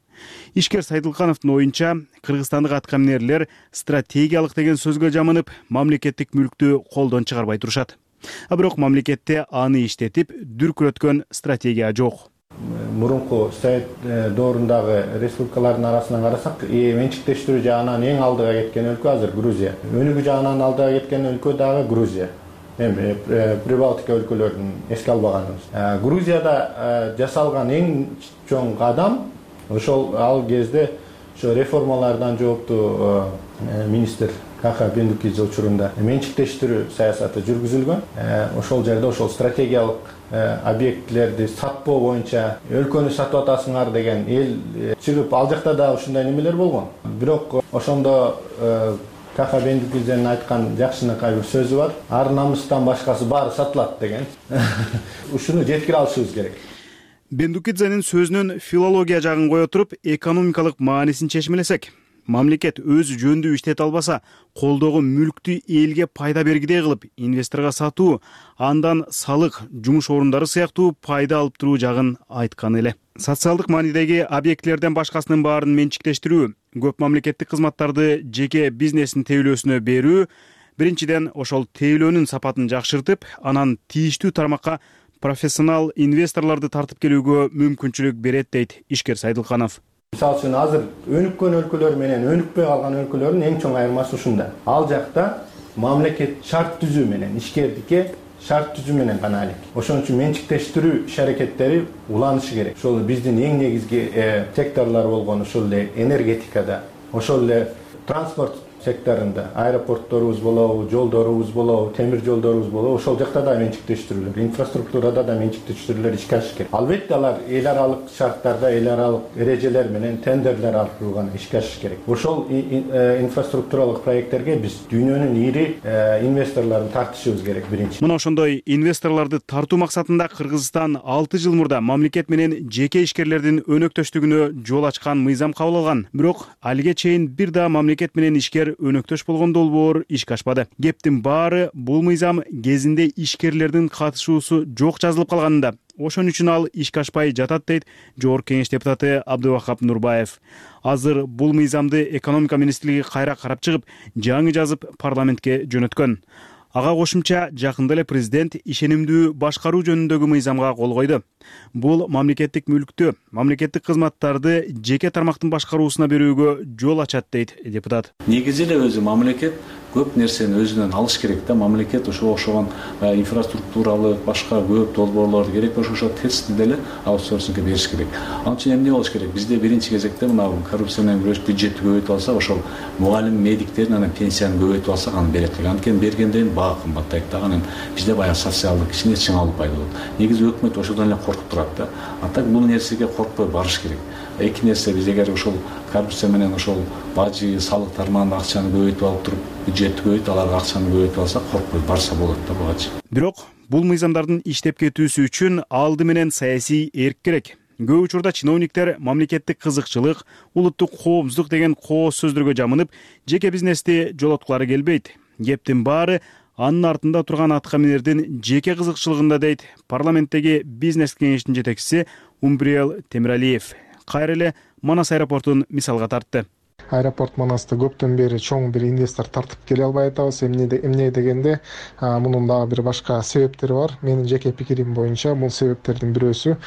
Ишкер Сайдылкановдун оюнча, кыргызстандык аткаминерлер стратегиялык деген сөзгө жамынып, мамлекеттик мүлктү колдон чыгарбай турушат. А бирок мамлекетте аны иштетип, дүркүрөткөн стратегия жок. Мурунку Совет доорундагы республикалардын арасынан карасак, менчиктештирүү жагынан эң алдыга кеткен өлкө азыр Грузия. Өнүгүү жагынан алдыга кеткен өлкө дагы Грузия. Эми Прибалтика өлкөлөрүн эске албаганыбыз. Грузияда жасалган эң чоң кадам ошол ал кезде ошо реформалардан жооптуу министр Каха Бендукидзе учурунда менчиктештирүү саясаты жүргүзүлгөн. Ошол жерде ошол стратегиялык объектилерди сатпоо боюнча өлкөнү сатып атасыңар деген эл чыгып, ал жакта да ушундай немелер болгон. Бирок ошондо Каха Бендукидзенин айткан жакшынакай бир сөзү бар. Ар намыстан башкасы баары сатылат деген. Ушуну жеткире алышыбыз керек. Бендукидзенин сөзүнүн филология жагын кое туруп, экономикалык маанисин чечмелесек, мамлекет өзү жөндүү иштете албаса, колдогу мүлктү элге пайда бергидей кылып, инвесторго сатуу, андан салык, жумуш орундары сыяктуу пайда алып туруу жагын айткан эле. Социалдык маанидеги объектилерден башкасынын баарын менчиктештирүү, көп мамлекеттик кызматтарды жеке бизнестин тейлөөсүнө берүү, биринчиден ошол тейлөөнүн сапатын жакшыртып, анан тийиштүү тармакка профессионал инвесторлорду тартып келүүгө мүмкүнчүлүк берет, дейт Ишкер Сайдылканов. Мисалы үчүн азыр өнүккөн өлкөлөр менен өнүкпөй калган өлкөлөрдүн эң чоң айырмасы ушунда. Ал жакта мамлекет шарт түзүү менен, ишкердикке шарт түзүү менен гана алек. Ошон үчүн менчиктештирүү иш-аракеттери уланышы керек. Ошол биздин эң негизги секторлор болгон ошол эле энергетикада, ошол эле транспорт секторунда, аэропортторубуз болобу, жолдорубуз болобу, темир жолдорубуз болобу, ошол жакта да менчиктештирүүлөр, инфраструктурада да менчиктештирүүлөр ишке ашыш керек. Албетте алар эл аралык шарттарда, эл аралык эрежелер менен тендерлер аркылуу гана ишке ашыш керек. Ошол инфраструктуралык проекттерге биз дүйнөнүн ири инвесторлорун тартышыбыз керек биринчи. Мына ошондой инвесторлорду тартуу максатында Кыргызстан алты жыл мурда мамлекет менен жеке ишкерлердин өнөктөштүгүнө жол ачкан мыйзам кабыл алган. Бирок алиге чейин бир да мамлекет менен ишкер өнөктөш болгон долбоор ишке ашпады. Кептин баары бул мыйзам кезинде ишкерлердин катышуусу жок жазылып калганында. Ошон үчүн ал ишке ашпай жатат, дейт Жогорку Кеңеш депутаты Абдывахап Нурбаев. Азыр бул мыйзамды экономика министрлиги кайра карап чыгып, жаңы жазып парламентке жөнөткөн. Ага кошумча жакында эле президент ишенимдүү башкаруу жөнүндөгү мыйзамга кол койду. Бул мамлекеттик мүлктү, мамлекеттик кызматтарды жеке тармактын башкаруусуна берүүгө жол ачат, дейт депутат. Негизи эле өзү мамлекет көп нерсени өзүнөн алыш керек да. Мамлекет ошо ошогон инфраструктуралык башка көп долбоорлорду керек болсо ошо тестти деле аутсорсингге бериш керек. Ал үчүн эмне болуш керек? Бизде биринчи кезекте мына коррупция менен күрөш бюджетти көбөйтүп алсак, ошол мугалим, медиктердин анан пенсияны көбөйтүп алсак, аны берет. Анткени бергенден баа кымбаттайт да. Анан бизде баягы социалдык кичине чыңалуу пайда болот. Негизи өкмөт ошодон эле коркуп турат да. А так бул нерсеге коркпой барыш керек. Эки нерсе, биз эгер ошол коррупция менен ошол бажы, салык тармагында акчаны көбөйтүп алып туруп, бюджетти көбөйтүп, аларга акчаны көбөйтүп алсак, коркпой барса болот да бугачы. Бирок бул мыйзамдардын иштеп кетүүсү үчүн алды менен саясий эрк керек. Көп учурда чиновниктер мамлекеттик кызыкчылык, улуттук коопсуздук деген кооз сөздөргө жамынып, жеке бизнести жолоткулары келбейт. Кептин баары анын артында турган аткаминердин жеке кызыкчылыгында, дейт парламенттеги бизнес кеңештин жетекчиси Умбриел Темиралиев. Кайра эле Манас аэропортун мисалга тартты. Аэропорт манасты көптөн бери чоң бир инвестор тартып келе албай атабыз. Эмне дегенде мунун дагы бир башка себептери бар. Менин жеке пикирим боюнча бул себептердин бирөөсү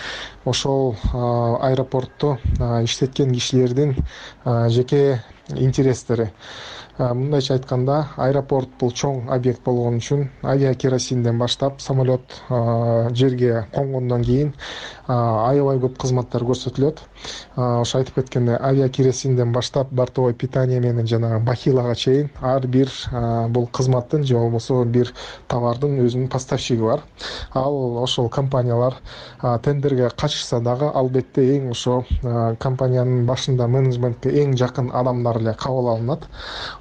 ошол аэропортто иштеткен кишилердин жеке интерестери. Мындайча айтканда, аэропорт бул чоң объект болгон үчүн авиакеросинден баштап самолет жерге конгондон кийин аябай көп кызматтар көрсөтүлөт. Ошо айтып кеткендей, авиакеросинден баштап бортовой питание менен жана бахилага чейин ар бир бул кызматтын же болбосо бир товардын өзүнүн поставщиги бар. Ал ошол компаниялар тендерге катышса дагы албетте эң ошо компаниянын башында менеджментке эң жакын адамдар эле кабыл алынат.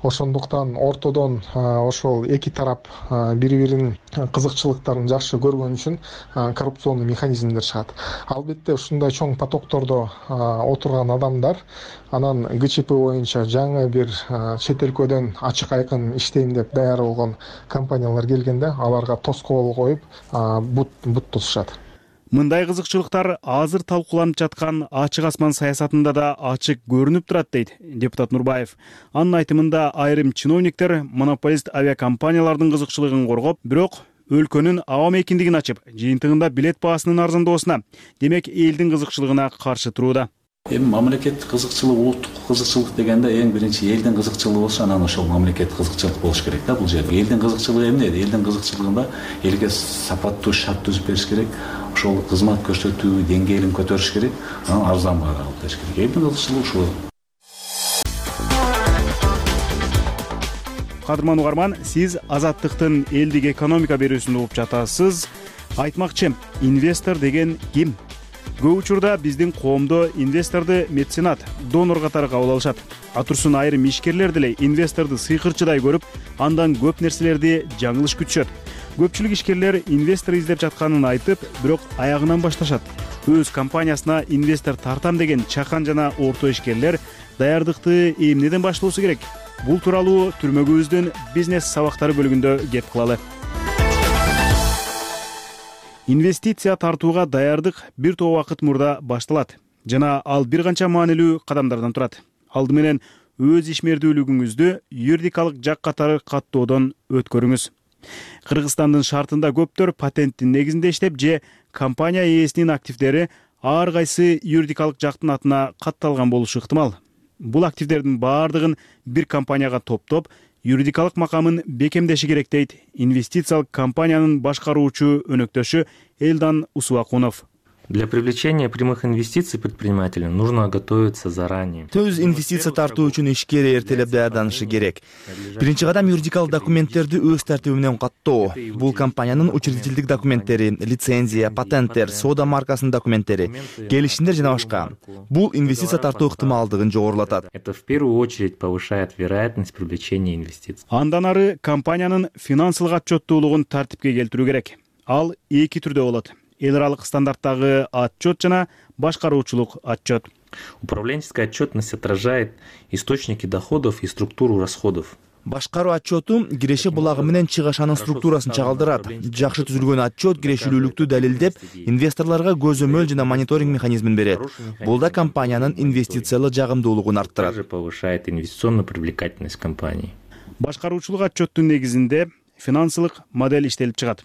Ошондуктан ортодон ошол эки тарап бири-биринин кызыкчылыктарын жакшы көргөн үчүн коррупционный механизмдер чыгат. Албетте ушундай чоң потоктордо отурган адамдар анан ГЧП боюнча жаңы бир чет өлкөдөн ачык айкын иштейм деп даяр болгон компаниялар келгенде аларга тоскоол коюп бут бут тосушат. Мындай кызыкчылыктар азыр талкууланып жаткан ачык асман саясатында да ачык көрүнүп турат дейт депутат Нурбаев. Анын айтымында айрым чиновниктер монополист авиакомпаниялардын кызыкчылыгын коргоп, бирок өлкөнүн аба мейкиндигин ачып, жыйынтыгында билет баасынын арзандоосуна, демек элдин кызыкчылыгына каршы турууда. Эми мамлекеттик кызыкчылык, улуттук кызыкчылык дегенде эң биринчи элдин кызыкчылыгы болсо, анан ошол мамлекеттик кызыкчылык болуш керек да бул жерде. Элдин кызыкчылыгы эмне? Элдин кызыкчылыгында элге сапаттуу шарт түзүп бериш керек, ошол кызмат көрсөтүү деңгээлин көтөрүш керек, анан арзан баага алып бериш керек. Элдин кызыкчылыгы ушул. Кадырман угарман, сиз Азаттыктын элдик экономика берүүсүн угуп жатасыз. Айтмакчы, инвестор деген ким? Көп учурда биздин коомдо инвесторду меценат, донор катары кабыл алышат. Атурсун айрым ишкерлер деле инвесторду сыйкырчыдай көрүп, андан көп нерселерди жаңылыш күтүшөт. Көпчүлүк ишкерлер инвестор издеп жатканын айтып, бирок аягынан башташат. Өз компаниясына инвестор тартам деген чакан жана орто ишкерлер даярдыкты эмнеден баштоосу керек? Бул тууралуу түрмөгүбүздүн бизнес сабактары бөлүгүндө кеп кылалы. Инвестиция тартууга даярдык бир топ убакыт мурда башталат жана ал бир канча маанилүү кадамдардан турат. Алды менен өз ишмердүүлүгүңүздү юридикалык жак катары каттоодон өткөрүңүз. Кыргызстандын шартында көптөр патенттин негизинде иштеп же компания ээсинин активдери ар кайсы юридикалык жактын атына катталган болушу ыктымал. Бул активдердин баардыгын бир компанияга топтоп, юридикалык макамын бекемдеши керек дейт инвестициялык компаниянын башкаруучу өнөктөшү Элдан Усубакунов. Для привлечения прямых инвестиций предпринимателям нужно готовиться заранее. Төз инвестиция тартуу үчүн ишкер эртелеп даярданышы керек. Биринчи кадам юридикалык документтерди өз тартиби менен каттоо. Бул компаниянын учредительдик документтери, лицензия, патенттер, соода маркасынын документтери, келишимдер жана башка. Бул инвестиция тартуу ыктымалдыгын жогорулатат. Это в первую очередь повышает вероятность привлечения инвестиций. Андан ары компаниянын финансылык отчеттуулугун тартипке келтирүү керек. Ал эки түрдө болот. Эл аралык стандарттагы отчет жана башкаруучулук отчет. Управленческая отчетность отражает источники доходов и структуру расходов. Башкаруу отчету киреше булагы менен чыгашанын структурасын чагылдырат. Жакшы түзүлгөн отчет кирешилүүлүктү далилдеп, инвесторлорго көзөмөл жана мониторинг механизмин берет. Бул да компаниянын инвестициялык жагымдуулугун арттырат. Также повышает инвестиционную привлекательность компании. Башкаруучулук отчеттун негизинде финансылык модель иштелип чыгат.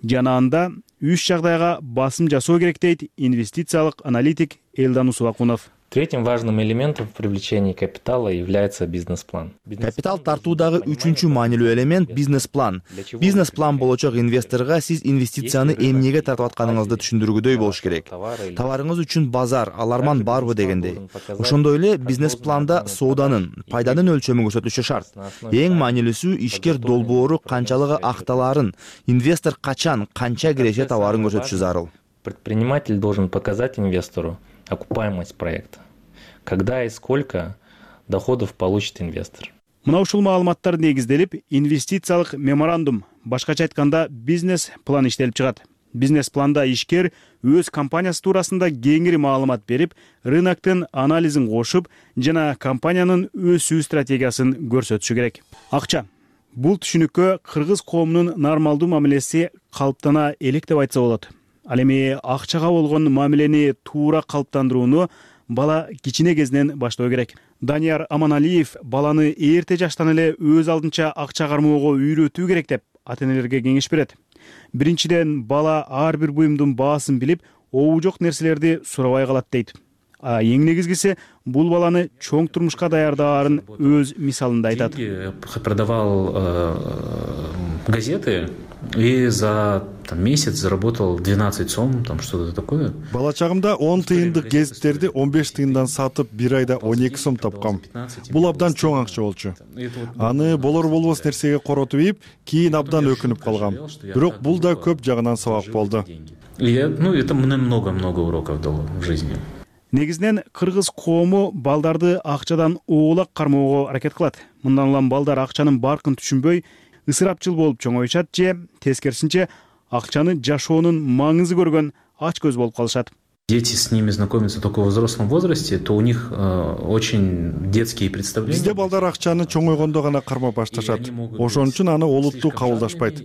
Жана анда үч жагдайга басым жасоо керек дейт инвестициялык аналитик Элдан Усубакунов. Третьим важным элементом в привлечении капитала является бизнес-план. Капитал тартуудагы үчүнчү маанилүү элемент бизнес-план. Бизнес-план болочок инвесторго сиз инвестицияны эмнеге тартып атканыңызды түшүндүргүдөй болуш керек. Товарыңыз үчүн базар, аларман барбы дегендей. Ошондой эле бизнес-планда сооданын, пайданын өлчөмү көрсөтүлүшү шарт. Эң маанилүүсү ишкер долбоору канчалыгы акталаарын, инвестор качан, канча киреше товарын көрсөтүшү зарыл. Предприниматель должен показать инвестору окупаемость проекта. Когда и сколько доходов получит инвестор. Мына ушул маалыматтар негизделип, инвестициялык меморандум, башкача айтканда бизнес-план иштелип чыгат. Бизнес-планда ишкер өз компаниясы туурасында кеңири маалымат берип, рыноктун анализин кошуп жана компаниянын өсүү стратегиясын көрсөтүшү керек. Акча. Бул түшүнүккө кыргыз коомунун нормалдуу мамилеси калыптана элек деп айтса болот. Ал эми акчага болгон мамилени туура калыптандырууну бала кичине кезинен баштоо керек. Данияр Аманалиев баланы эрте жаштан эле өз алдынча акча кармоого үйрөтүү керек деп ата энелерге кеңеш берет. Биринчиден, бала ар бир буюмдун баасын билип, обу жок нерселерди сурабай калат дейт. А эң негизгиси бул баланы чоң турмушка даярдаарын өз мисалында айтат. Продавал газеты и за там, месяц заработал двенадцать сом, там что-то такое. Бала чагымда он тыйындык гезиттерди он беш тыйындан сатып, бир айда он эки сом тапкам. Бул абдан чоң акча болчу. Аны болор болбос нерсеге коротуп ийип, кийин абдан өкүнүп калгам. Бирок бул да көп жагынан сабак болду. Ну, это мне много-много уроков дало в жизни. Негизинен кыргыз коому балдарды акчадан оолак кармоого аракет кылат. Мындан улам балдар акчанын баркын түшүнбөй, ысырапчыл болуп чоңоюшат же тескерисинче акчаны жашоонун маңызы көргөн ач көз болуп калышат. Дети с ними знакомятся только в взрослом возрасте, то у них э, очень детские представления. Бизде балдар акчаны чоңойгондо гана кармап башташат. Ошон үчүн аны олуттуу кабылдашпайт.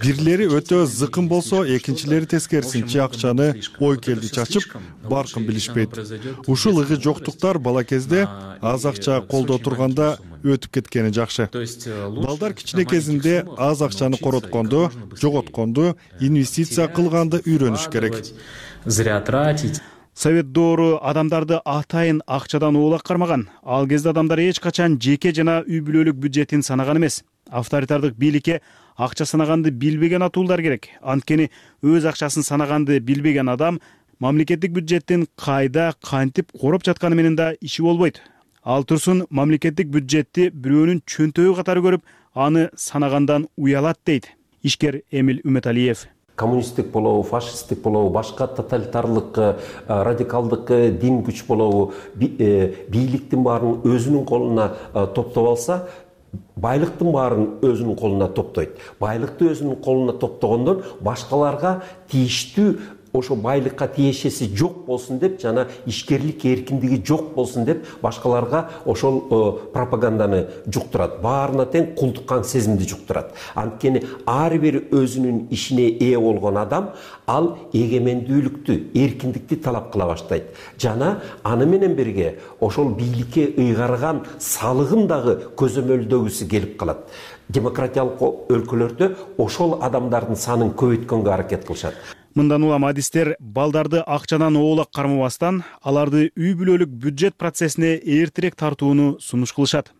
Бирлери өтө зыкын болсо, экинчилери тескерисинче акчаны ой келди чачып, баркын билишпейт. Ушул ыгы жоктуктар бала кезде аз акча колдо турганда өтүп кеткени жакшы. Балдар кичине кезинде аз акчаны коротконду, жоготконду, инвестиция кылганды үйрөнүш керек. Зря тратить. Совет доору адамдарды атайын акчадан оолак кармаган. Ал кезде адамдар эч качан жеке жана үй бүлөлүк бюджетин санаган эмес. Авторитардык бийликке акча санаганды билбеген атуулдар керек. Анткени өз акчасын санаганды билбеген адам мамлекеттик бюджеттин кайда, кантип короп жатканы менен да иши болбойт. Ал турсун мамлекеттик бюджетти бирөөнүн чөнтөгү катары көрүп, аны санагандан уялат дейт ишкер Эмил Үмөталиев. Коммунисттик болобу, фашисттик болобу, башка тоталитарлык, радикалдык дин күч болобу, бийликтин баарын өзүнүн колуна топтоп алса, байлыктын баарын өзүнүн колуна топтойт. Байлыкты өзүнүн колуна топтогондон башкаларга тийиштүү ошо байлыкка тиешеси жок болсун деп, жана ишкерлик эркиндиги жок болсун деп башкаларга ошол пропаганданы жуктурат. Баарына тең кулдуккан сезимди жуктурат. Анткени ар бир өзүнүн ишине ээ болгон адам ал эгемендүүлүктү, эркиндикти талап кыла баштайт. Жана аны менен бирге ошол бийликке ыйгарган салыгын дагы көзөмөлдөгүсү келип калат. Демократиялык өлкөлөрдө ошол адамдардын санын көбөйткөнгө аракет кылышат. Мындан улам адистер балдарды акчадан оолак кармабастан, аларды үй бүлөлүк бюджет процессине эртерээк тартууну сунуш кылышат.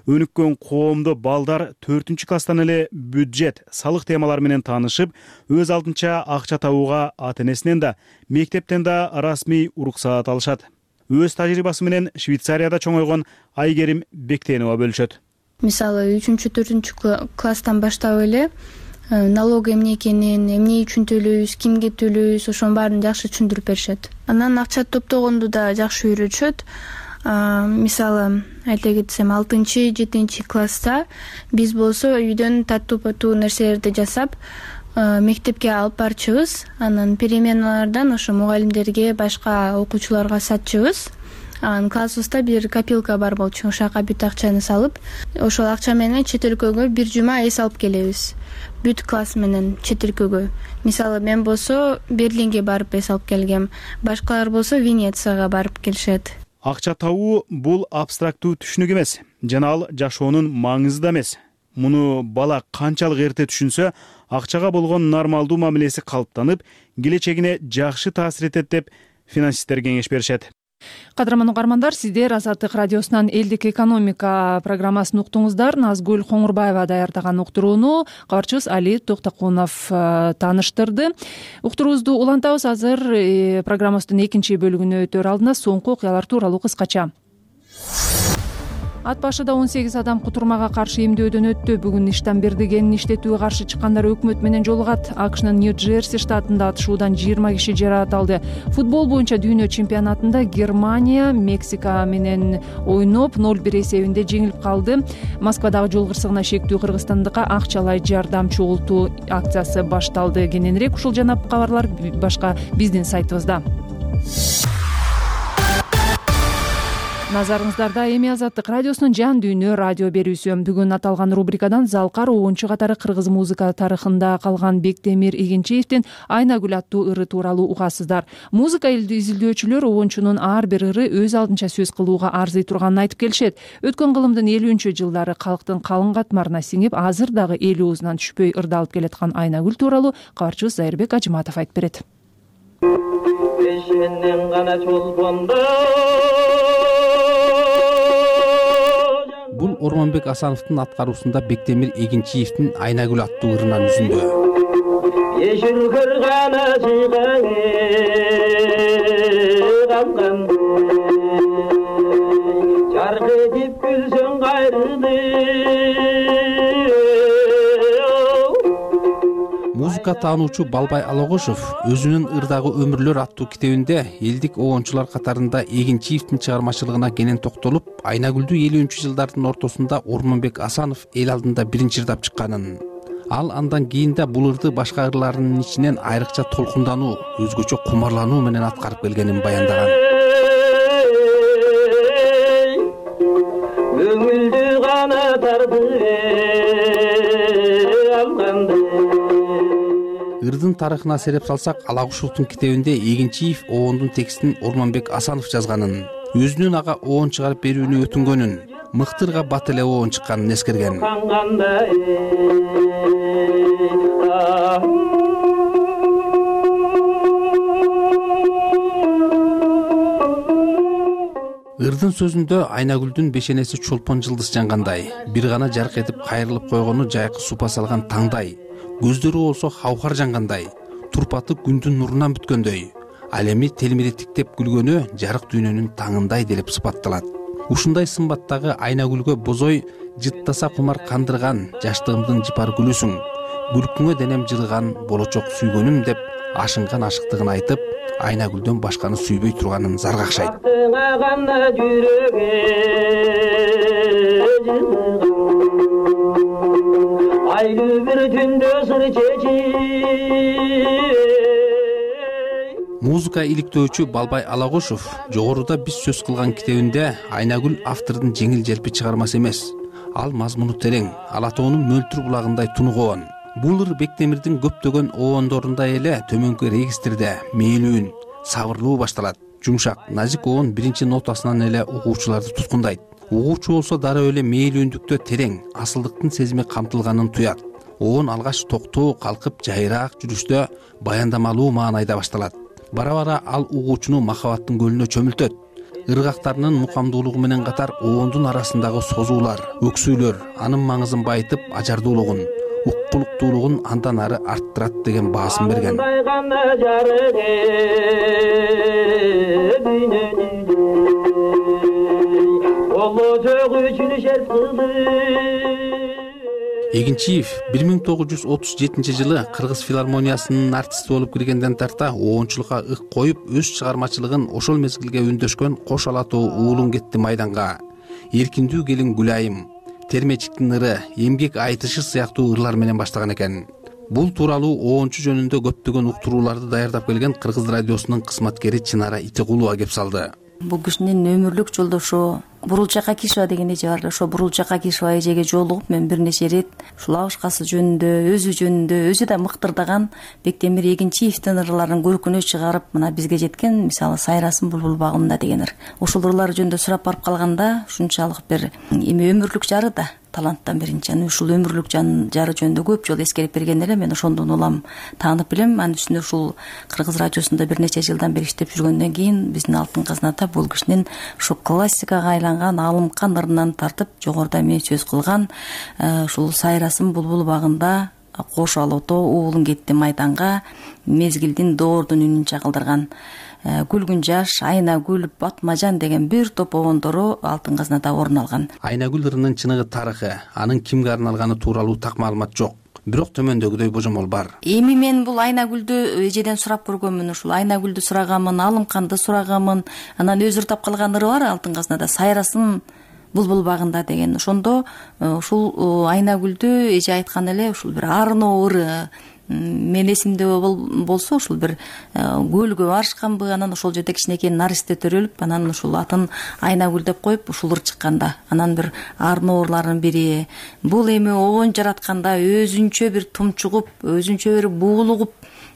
Өнүккөн коомдо балдар төртүнчү класстан эле бюджет, салык темалары менен таанышып, өз алдынча акча табууга ата энесинен да, мектептен да расмий уруксаат алышат. Өз тажрыйбасы менен Швейцарияда чоңойгон Айгерим Бектенова бөлүшөт. Мисалы, үчүнчү төртүнчү класстан баштап эле налог эмне экенин, эмне үчүн төлөйбүз, кимге төлөйбүз, ошонун баарын жакшы түшүндүрүп беришет. Анан акча топтогонду да жакшы үйрөтүшөт. Мисалы, айта кетсем, алтынчы, жетинчи класста биз болсо үйдөн таттуу паттуу нерселерди жасап, мектепке алып барчыбыз. Анан переменалардан ошо мугалимдерге, башка окуучуларга сатчыбыз. Анан классыбызда бир копилка бар болчу. Ошага бүт акчаны салып, ошол акча менен чет өлкөгө бир жума эс алып келебиз. Бүт класс менен чет өлкөгө. Мисалы, мен болсо Берлинге барып эс алып келгем. Башкалар болсо Венецияга барып келишет. Акча табуу бул абстрактуу түшүнүк эмес, жана ал жашоонун маңызы да эмес. Муну бала канчалык эрте түшүнсө, акчага болгон нормалдуу мамилеси калыптанып, келечегине жакшы таасир этет деп финансисттер кеңеш беришет. Кадырман угармандар, сиздер Азаттык радиосунан элдик экономика программасын уктуңуздар. Назгүл Коңурбаева даярдаган уктурууну кабарчыбыз Али Токтокунов тааныштырды. Уктуруубузду улантабыз. Азыр программабыздын экинчи бөлүгүнө өтөр алдында соңку окуялар тууралуу кыскача. Ат башыда он сегиз адам кутурмага каршы эмдөөдөн өттү. Бүгүн Иштамберди кенин иштетүүгө каршы чыккандар өкмөт менен жолугат. АКШнын Нью-Джерси штатында атышуудан жыйырма киши жаракат алды. Футбол боюнча дүйнө чемпионатында Германия Мексика менен ойноп ноль бир эсебинде жеңилип калды. Москвадагы жол кырсыгына шектүү кыргызстандыкка акчалай жардам чогултуу акциясы башталды. Кененирээк ушул жана кабарлар башка биздин сайтыбызда. Назарыңыздарда Эми Азаттык радиосунун жан дүйнө радио берүүсү. Бүгүн аталган рубрикадан Залкар уунчу катары кыргыз музыка тарыхында калган Бектемир Игенчиевдин Айнагүл аттуу ыры тууралуу угасыздар. Музыка изилдөөчүлөр уунчунун ар бир ыры өз алдынча сөз кылууга арзый турганын айтып келишет. Өткөн кылымдын элүүнчү жылдары калктын калың катмарына сиңип, азыр дагы эл оозунан түшпөй ырдалып келаткан Айнагүл тууралуу кабарчыбыз Зайырбек Ажыматов айтып берет. Бул Ормонбек Асановдун аткаруусунда Бектемир Эгенчиевдин Айнагүл аттуу ырынан үзүндү. Ешүргөр гана жыйган камган жаргы деп күлсөң кайрылды. Музыка таануучу Балбай Алагошов өзүнүн ырдагы өмүрлөр аттуу китебинде элдик оончулар катарында Эгенчиевдин чыгармачылыгына кенен токтолуп, Айнагүлдү элүүнчү жылдардын ортосунда Ормонбек Асанов эл алдында биринчи ырдап чыкканын, ал андан кийин да бул ырды башка ырларынын ичинен айрыкча толкундануу, өзгөчө кумарлануу менен аткарып келгенин баяндаган. Көңүлдү гана тарды алганды. Ырдын тарыхына сереп салсак, Алагушевдун китебинде Эгенчиев оондун текстин Ормонбек Асанов жазганын, өзүнүн ага оон чыгарып берүүнү өтүнгөнүн, мыктырга бат эле оон чыкканын эскерген. Ырдын сөзүндө Айнагүлдүн бешенеси чолпон жылдыз жангандай, бир гана жарк этип кайрылып койгону жайкы супа салган таңдай, көздөрү болсо хаухар жангандай, турпаты күндүн нурунан бүткөндөй, ал эми телмиреттиктеп күлгөнү жарык дүйнөнүн таңындай делип сыпатталат. Ушундай сымбаттагы Айнагүлгө бозой жыттаса кумар кандырган жаштыгымдын жыпар гүлүсүң, күлкүңө денем жылыган болочок сүйгөнүм деп ашынган ашыктыгын айтып, Айнагүлдөн башканы сүйбөй турганын заргакшайт. Музыка иликтөөчү Балбай Алагошов жогоруда биз сөз кылган китебинде Айнагүл автордун жеңил желпи чыгармасы эмес. Ал мазмуну терең, Алатоонун мөлтүр булагындай тунугуон. Бул ыр Бектемирдин көптөгөн оондорундай эле төмөнкү регистрде мээлүүн, сабырлуу башталат. Жумшак, назик оон биринчи нотасынан эле угуучуларды туткундайт. Угуучу болсо дароо эле мээлүүндүктө терең, асылдыктын сезими камтылганын туят. Оон алгач токтоо калкып жайраак жүрүштө баяндамалуу маанайда башталат. Бара-бара ал угуучуну махабаттын көлүнө чөмүлтөт. Ыргактарынын мукамдуулугу менен катар оондун арасындагы созуулар, өксүүлөр анын маңызын байытып, ажардуулугун, уккулуктуулугун андан ары арттырат деген баасын берген. Эгенчиев бир миң тогуз жүз отуз жетинчи жылы Кыргыз филармониясынын артисти болуп киргенден тарта оончулукка ык коюп, өз чыгармачылыгын ошол мезгилге үндөшкөн Кош Алатоо уулуң кетти майданга, Эркиндүү келин Гүлайым, Термечиктин ыры, Эмгек айтышы сыяктуу ырлар менен баштаган экен. Бул тууралуу оончу жөнүндө көптөгөн уктурууларды даярдап келген Кыргыз радиосунун кызматкери Чынара Итегулова кеп салды. Бул кишинин өмүрлүк жолдошу Бурулчак Акишева деген эже бар. Ошо Бурулчак Акишева эжеге жолугуп мен бир нече ирет ушул абышкасы жөнүндө, өзү жөнүндө, өзү да мыктырдаган Бектемир Эгенчиевдин ырларын көркүнө чыгарып, мына бизге жеткен, мисалы Сайрасым булбул багымда деген ыр. Ошол ырлар жөнүндө сурап барып калганда, ушунчалык бир эми өмүрлүк жары да таланттан биринчи. Аны ушул өмүрлүк жары жөнүндө көп жолу эскерип берген эле, мен ошондон улам таанып билем. Анын үстүнө ушул Кыргыз радиосунда бир нече жылдан бери иштеп жүргөндөн кийин биздин Алтын казната бул кишинин ушу классикага айланган алымкан ырынан тартып, жогоруда мен сөз кылган ушул Сайрасым булбул багында, Кош Алатоо уулуң кетти майданга, мезгилдин доордун үнүн чагылдырган Күлгүн жаш, Айнагүл, Батмажан деген бир топ оондору Алтын казнада орун алган. Айнагүл ырынын чыныгы тарыхы, анын кимге арналганы тууралуу так маалымат жок. Бирок төмөндөгүдөй божомол бар. Эми мен бул Айнагүлдү эжеден сурап көргөнмүн, ушул Айнагүлдү сурагамын, Алымканды сурагамын. Анан өзү ырдап калган ыры бар Алтын казнада, Сайрасым булбул багында деген. Ошондо ушул Айнагүлдү эже айткан эле ушул бир арыноо ыры, мен эсимде болсо ушул бир көлгө барышканбы, анан ошол жерде кичинекей наристе төрөлүп, анан ушул атын Айнагүл деп коюп ушул ыр чыкканда, анан бир арын оорларынын бири бул эми обон жаратканда өзүнчө бир тумчугуп, өзүнчө бир буулугуп,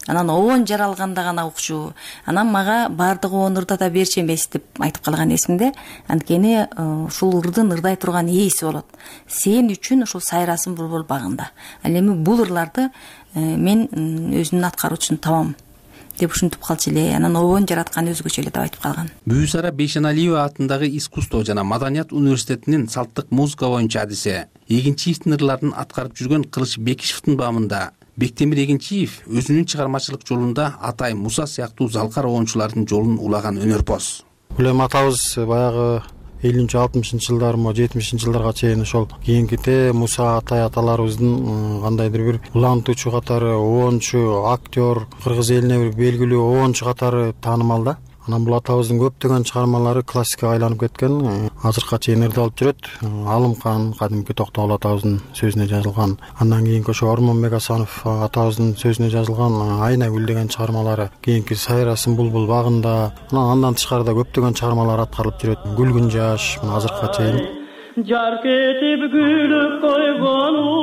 анан обон жаралганда гана укчу, анан мага баардык обон ырдата берчү эмес деп айтып калган эсимде. Анткени ушул ырдын ырдай турган ээси болот. Сен үчүн ушул сайрасың булбул багында. Ал эми бул ырларды мен өзүмдүн аткаруучусун табам деп ушинтип калчу эле. Анан обон жараткан өзгөчө эле деп айтып калган. Бүүсара Бейшеналиева атындагы искусство жана маданият университетинин салттык музыка боюнча адиси, Эгинчиевдин ырларын аткарып жүргөн Кылыч Бекишевдин баамында Бектемир Эгинчиев өзүнүн чыгармачылык жолунда Атай Муса сыяктуу залкар обончулардын жолун улаган өнөрпоз. Бул эми атабыз баягы элүүнчү алтымышынчы жылдар мо жетимишинчи жылдарга чейин ошол кийинките Муса Атай аталарыбыздын кандайдыр бир улантуучу катары, обончу, актер, кыргыз элине бир белгилүү обончу катары таанымал да. Анан бул атабыздын көптөгөн чыгармалары классикага айланып кеткен, азыркыга чейин ырдалып жүрөт. Алымкан кадимки Токтогул атабыздын сөзүнө жазылган, андан кийинки ошо Ормонбек Асанов атабыздын сөзүнө жазылган Айнагүл деген чыгармалары, кийинки Сайрасың булбул багында, андан тышкарыда көптөгөн чыгармалар аткарылып жүрөт. Күлгүн жаш азыркыга чейин. Жар кетип күлүп койгону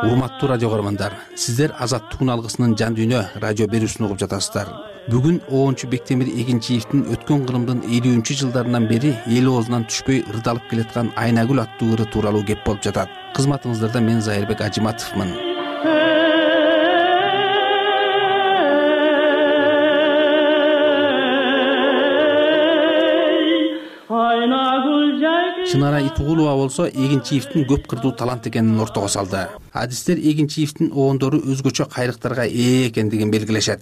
Урматтуу радио көрөрмандар, сиздер Азаттыктын алгысынын жан дүйнө радио берүүсүн угуп жатасыздар. Бүгүн обончу Бектемир Эгинчиевдин өткөн кылымдын элүүнчү жылдарынан бери эл оозунан түшпөй ырдалып келаткан Айнагүл аттуу ыры тууралуу кеп болуп жатат. Кызматыңыздарда мен Зайырбек Ажиматовмун. Чынара Итугулова болсо Эгинчиевдин көп кырдуу талант экенин ортого салды. Адистер Эгинчиевдин обондору өзгөчө кайрыктарга ээ экендигин белгилешет.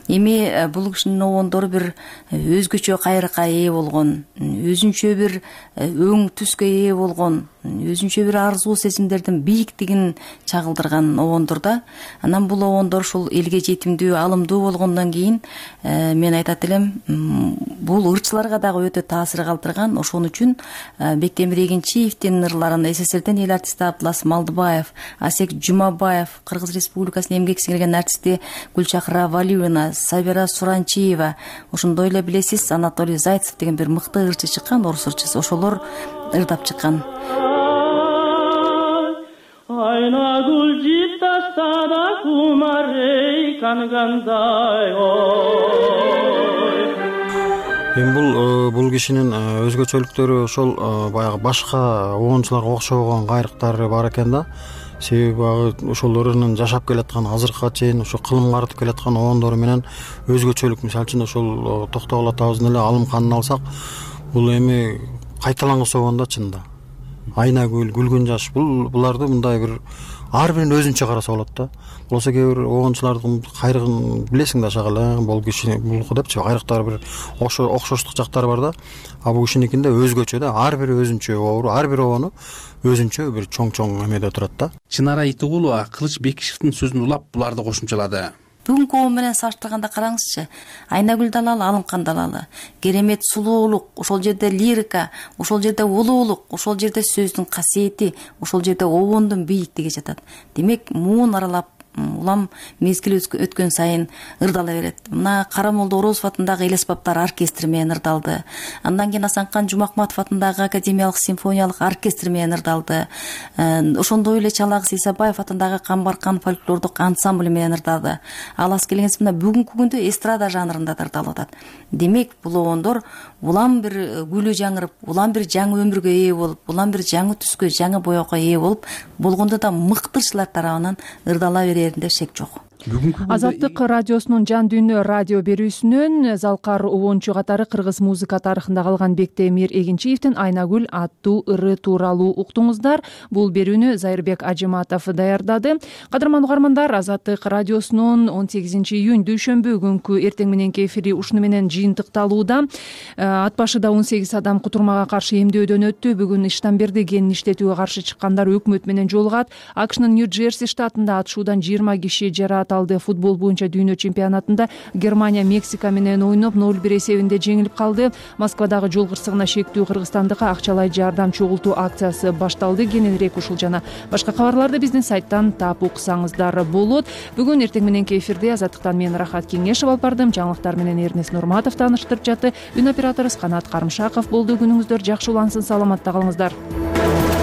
Эми бул кишинин обондору бир өзгөчө кайрыкка ээ болгон, өзүнчө бир өң түскө ээ болгон, өзүнчө бир арзуу сезимдердин бийиктигин чагылдырган обондор да. Анан бул обондор ушул элге жетимдүү, алымдуу болгондон кийин мен айтат элем, бул ырчыларга дагы өтө таасир калтырган. Ошон үчүн Бектемир Эгинчиевдин ырларын СССРден эл артисти Абдылас Малдыбаев, Асек Жумабаев, Кыргыз Республикасынын эмгек сиңирген артисти Гүлчакра Валиевна, Сабира Суранчиева, ошондой эле билесиз Анатолий Зайцев деген бир мыкты ырчы чыккан, орус ырчысы, ошолор ырдап чыккан. Айнагүл жип тастада кумарей кангандай Эми бул бул кишинин өзгөчөлүктөрү ошол баягы башка обончуларга окшогон кайрыктары бар экен да. Себеби ошол ырынын жашап келаткан, азыркыга чейин ошо кылымга артып келаткан обондору менен өзгөчөлүк. Мисалы үчүн ошол Токтогул атабыздын эле Алымканын алсак, бул эми кайталангыс обон да чынында. Айнагүл, Күлгүн жаш, бул буларды мындай бир ар бирин өзүнчө караса болот да. Болсо кээ бир обончулардын кайрыгын билесиң да шагала, бул киши булку депчи, кайрыктары бир окшоштук жактары бар да. А бул кишиникинде өзгөчө да, ар бири өзүнчө обору, ар бир обону өзүнчө бир чоң-чоң эмеде турат да. Чынара Итугулова Кылыч Бекишевдин сөзүн улап буларды кошумчалады. Бүгүнкү обон менен салыштырганда караңызчы, Айнагүл далалы, Алымкан далалы, керемет сулуулук, ошол жерде лирика, ошол жерде улуулук, ошол жерде сөздүн касиети, ошол жерде обондун бийиктиги жатат. Демек, муун аралап улам мезгил өткөн сайын ырдала берет. Мына Карамолдо Орозов атындагы эл аспаптар оркестри менен ырдалды. Андан кийин Асанкан Жумакматов атындагы академиялык симфониялык оркестр менен ырдалды. Ошондой эле Чалагыз Исабаев атындагы Камбаркан фольклордук ансамбль менен ырдалды. Ал аз келгенсиз мына бүгүнкү күндө эстрада жанрында ырдалып атат. Демек, бул обондор улам бир гүлү жаңырып, улам бир жаңы өмүргө ээ болуп, улам бир жаңы түскө, жаңы боёкко ээ болуп, болгондо да мыктырчылар тарабынан ырдала береринде шек жок. Азаттык радиосунун жан дүйнө радио берүүсүнөн залкар обончу катары кыргыз музыка тарыхында калган Бектемир Эгинчиевдин Айнагүл аттуу ыры тууралуу уктуңуздар. Бул берүүнү Зайырбек Ажиматов даярдады. Кадырман угармандар, Азаттык радиосунун он сегизинчи июнь дүйшөмбү күнкү эртең мененки эфири ушуну менен жыйынтыкталууда. Ат башыда он сегиз адам кутурмага каршы эмдөөдөн өттү. Бүгүн Иштанберди кенин иштетүүгө каршы чыккандар өкмөт менен жолугат. АКШнын Нью-Джерси штатында атышуудан жыйырма киши жарат. аталды. Футбол боюнча дүйнө чемпионатында Германия Мексика менен ойноп ноль бир эсебинде жеңилип калды. Москвадагы жол кырсыгына шектүү кыргызстандыкка акчалай жардам чогултуу акциясы башталды. Кененирээк ушул жана башка кабарларды биздин сайттан таап уксаңыздар болот. Бүгүн эртең мененки эфирде Азаттыктан мен Рахат Кеңешев алып бардым. Жаңылыктар менен Эрнес Нурматов тааныштырып жатты. Үн операторубуз Канат Карымшаков болду. Күнүңүздөр жакшы улансын, саламатта калыңыздар.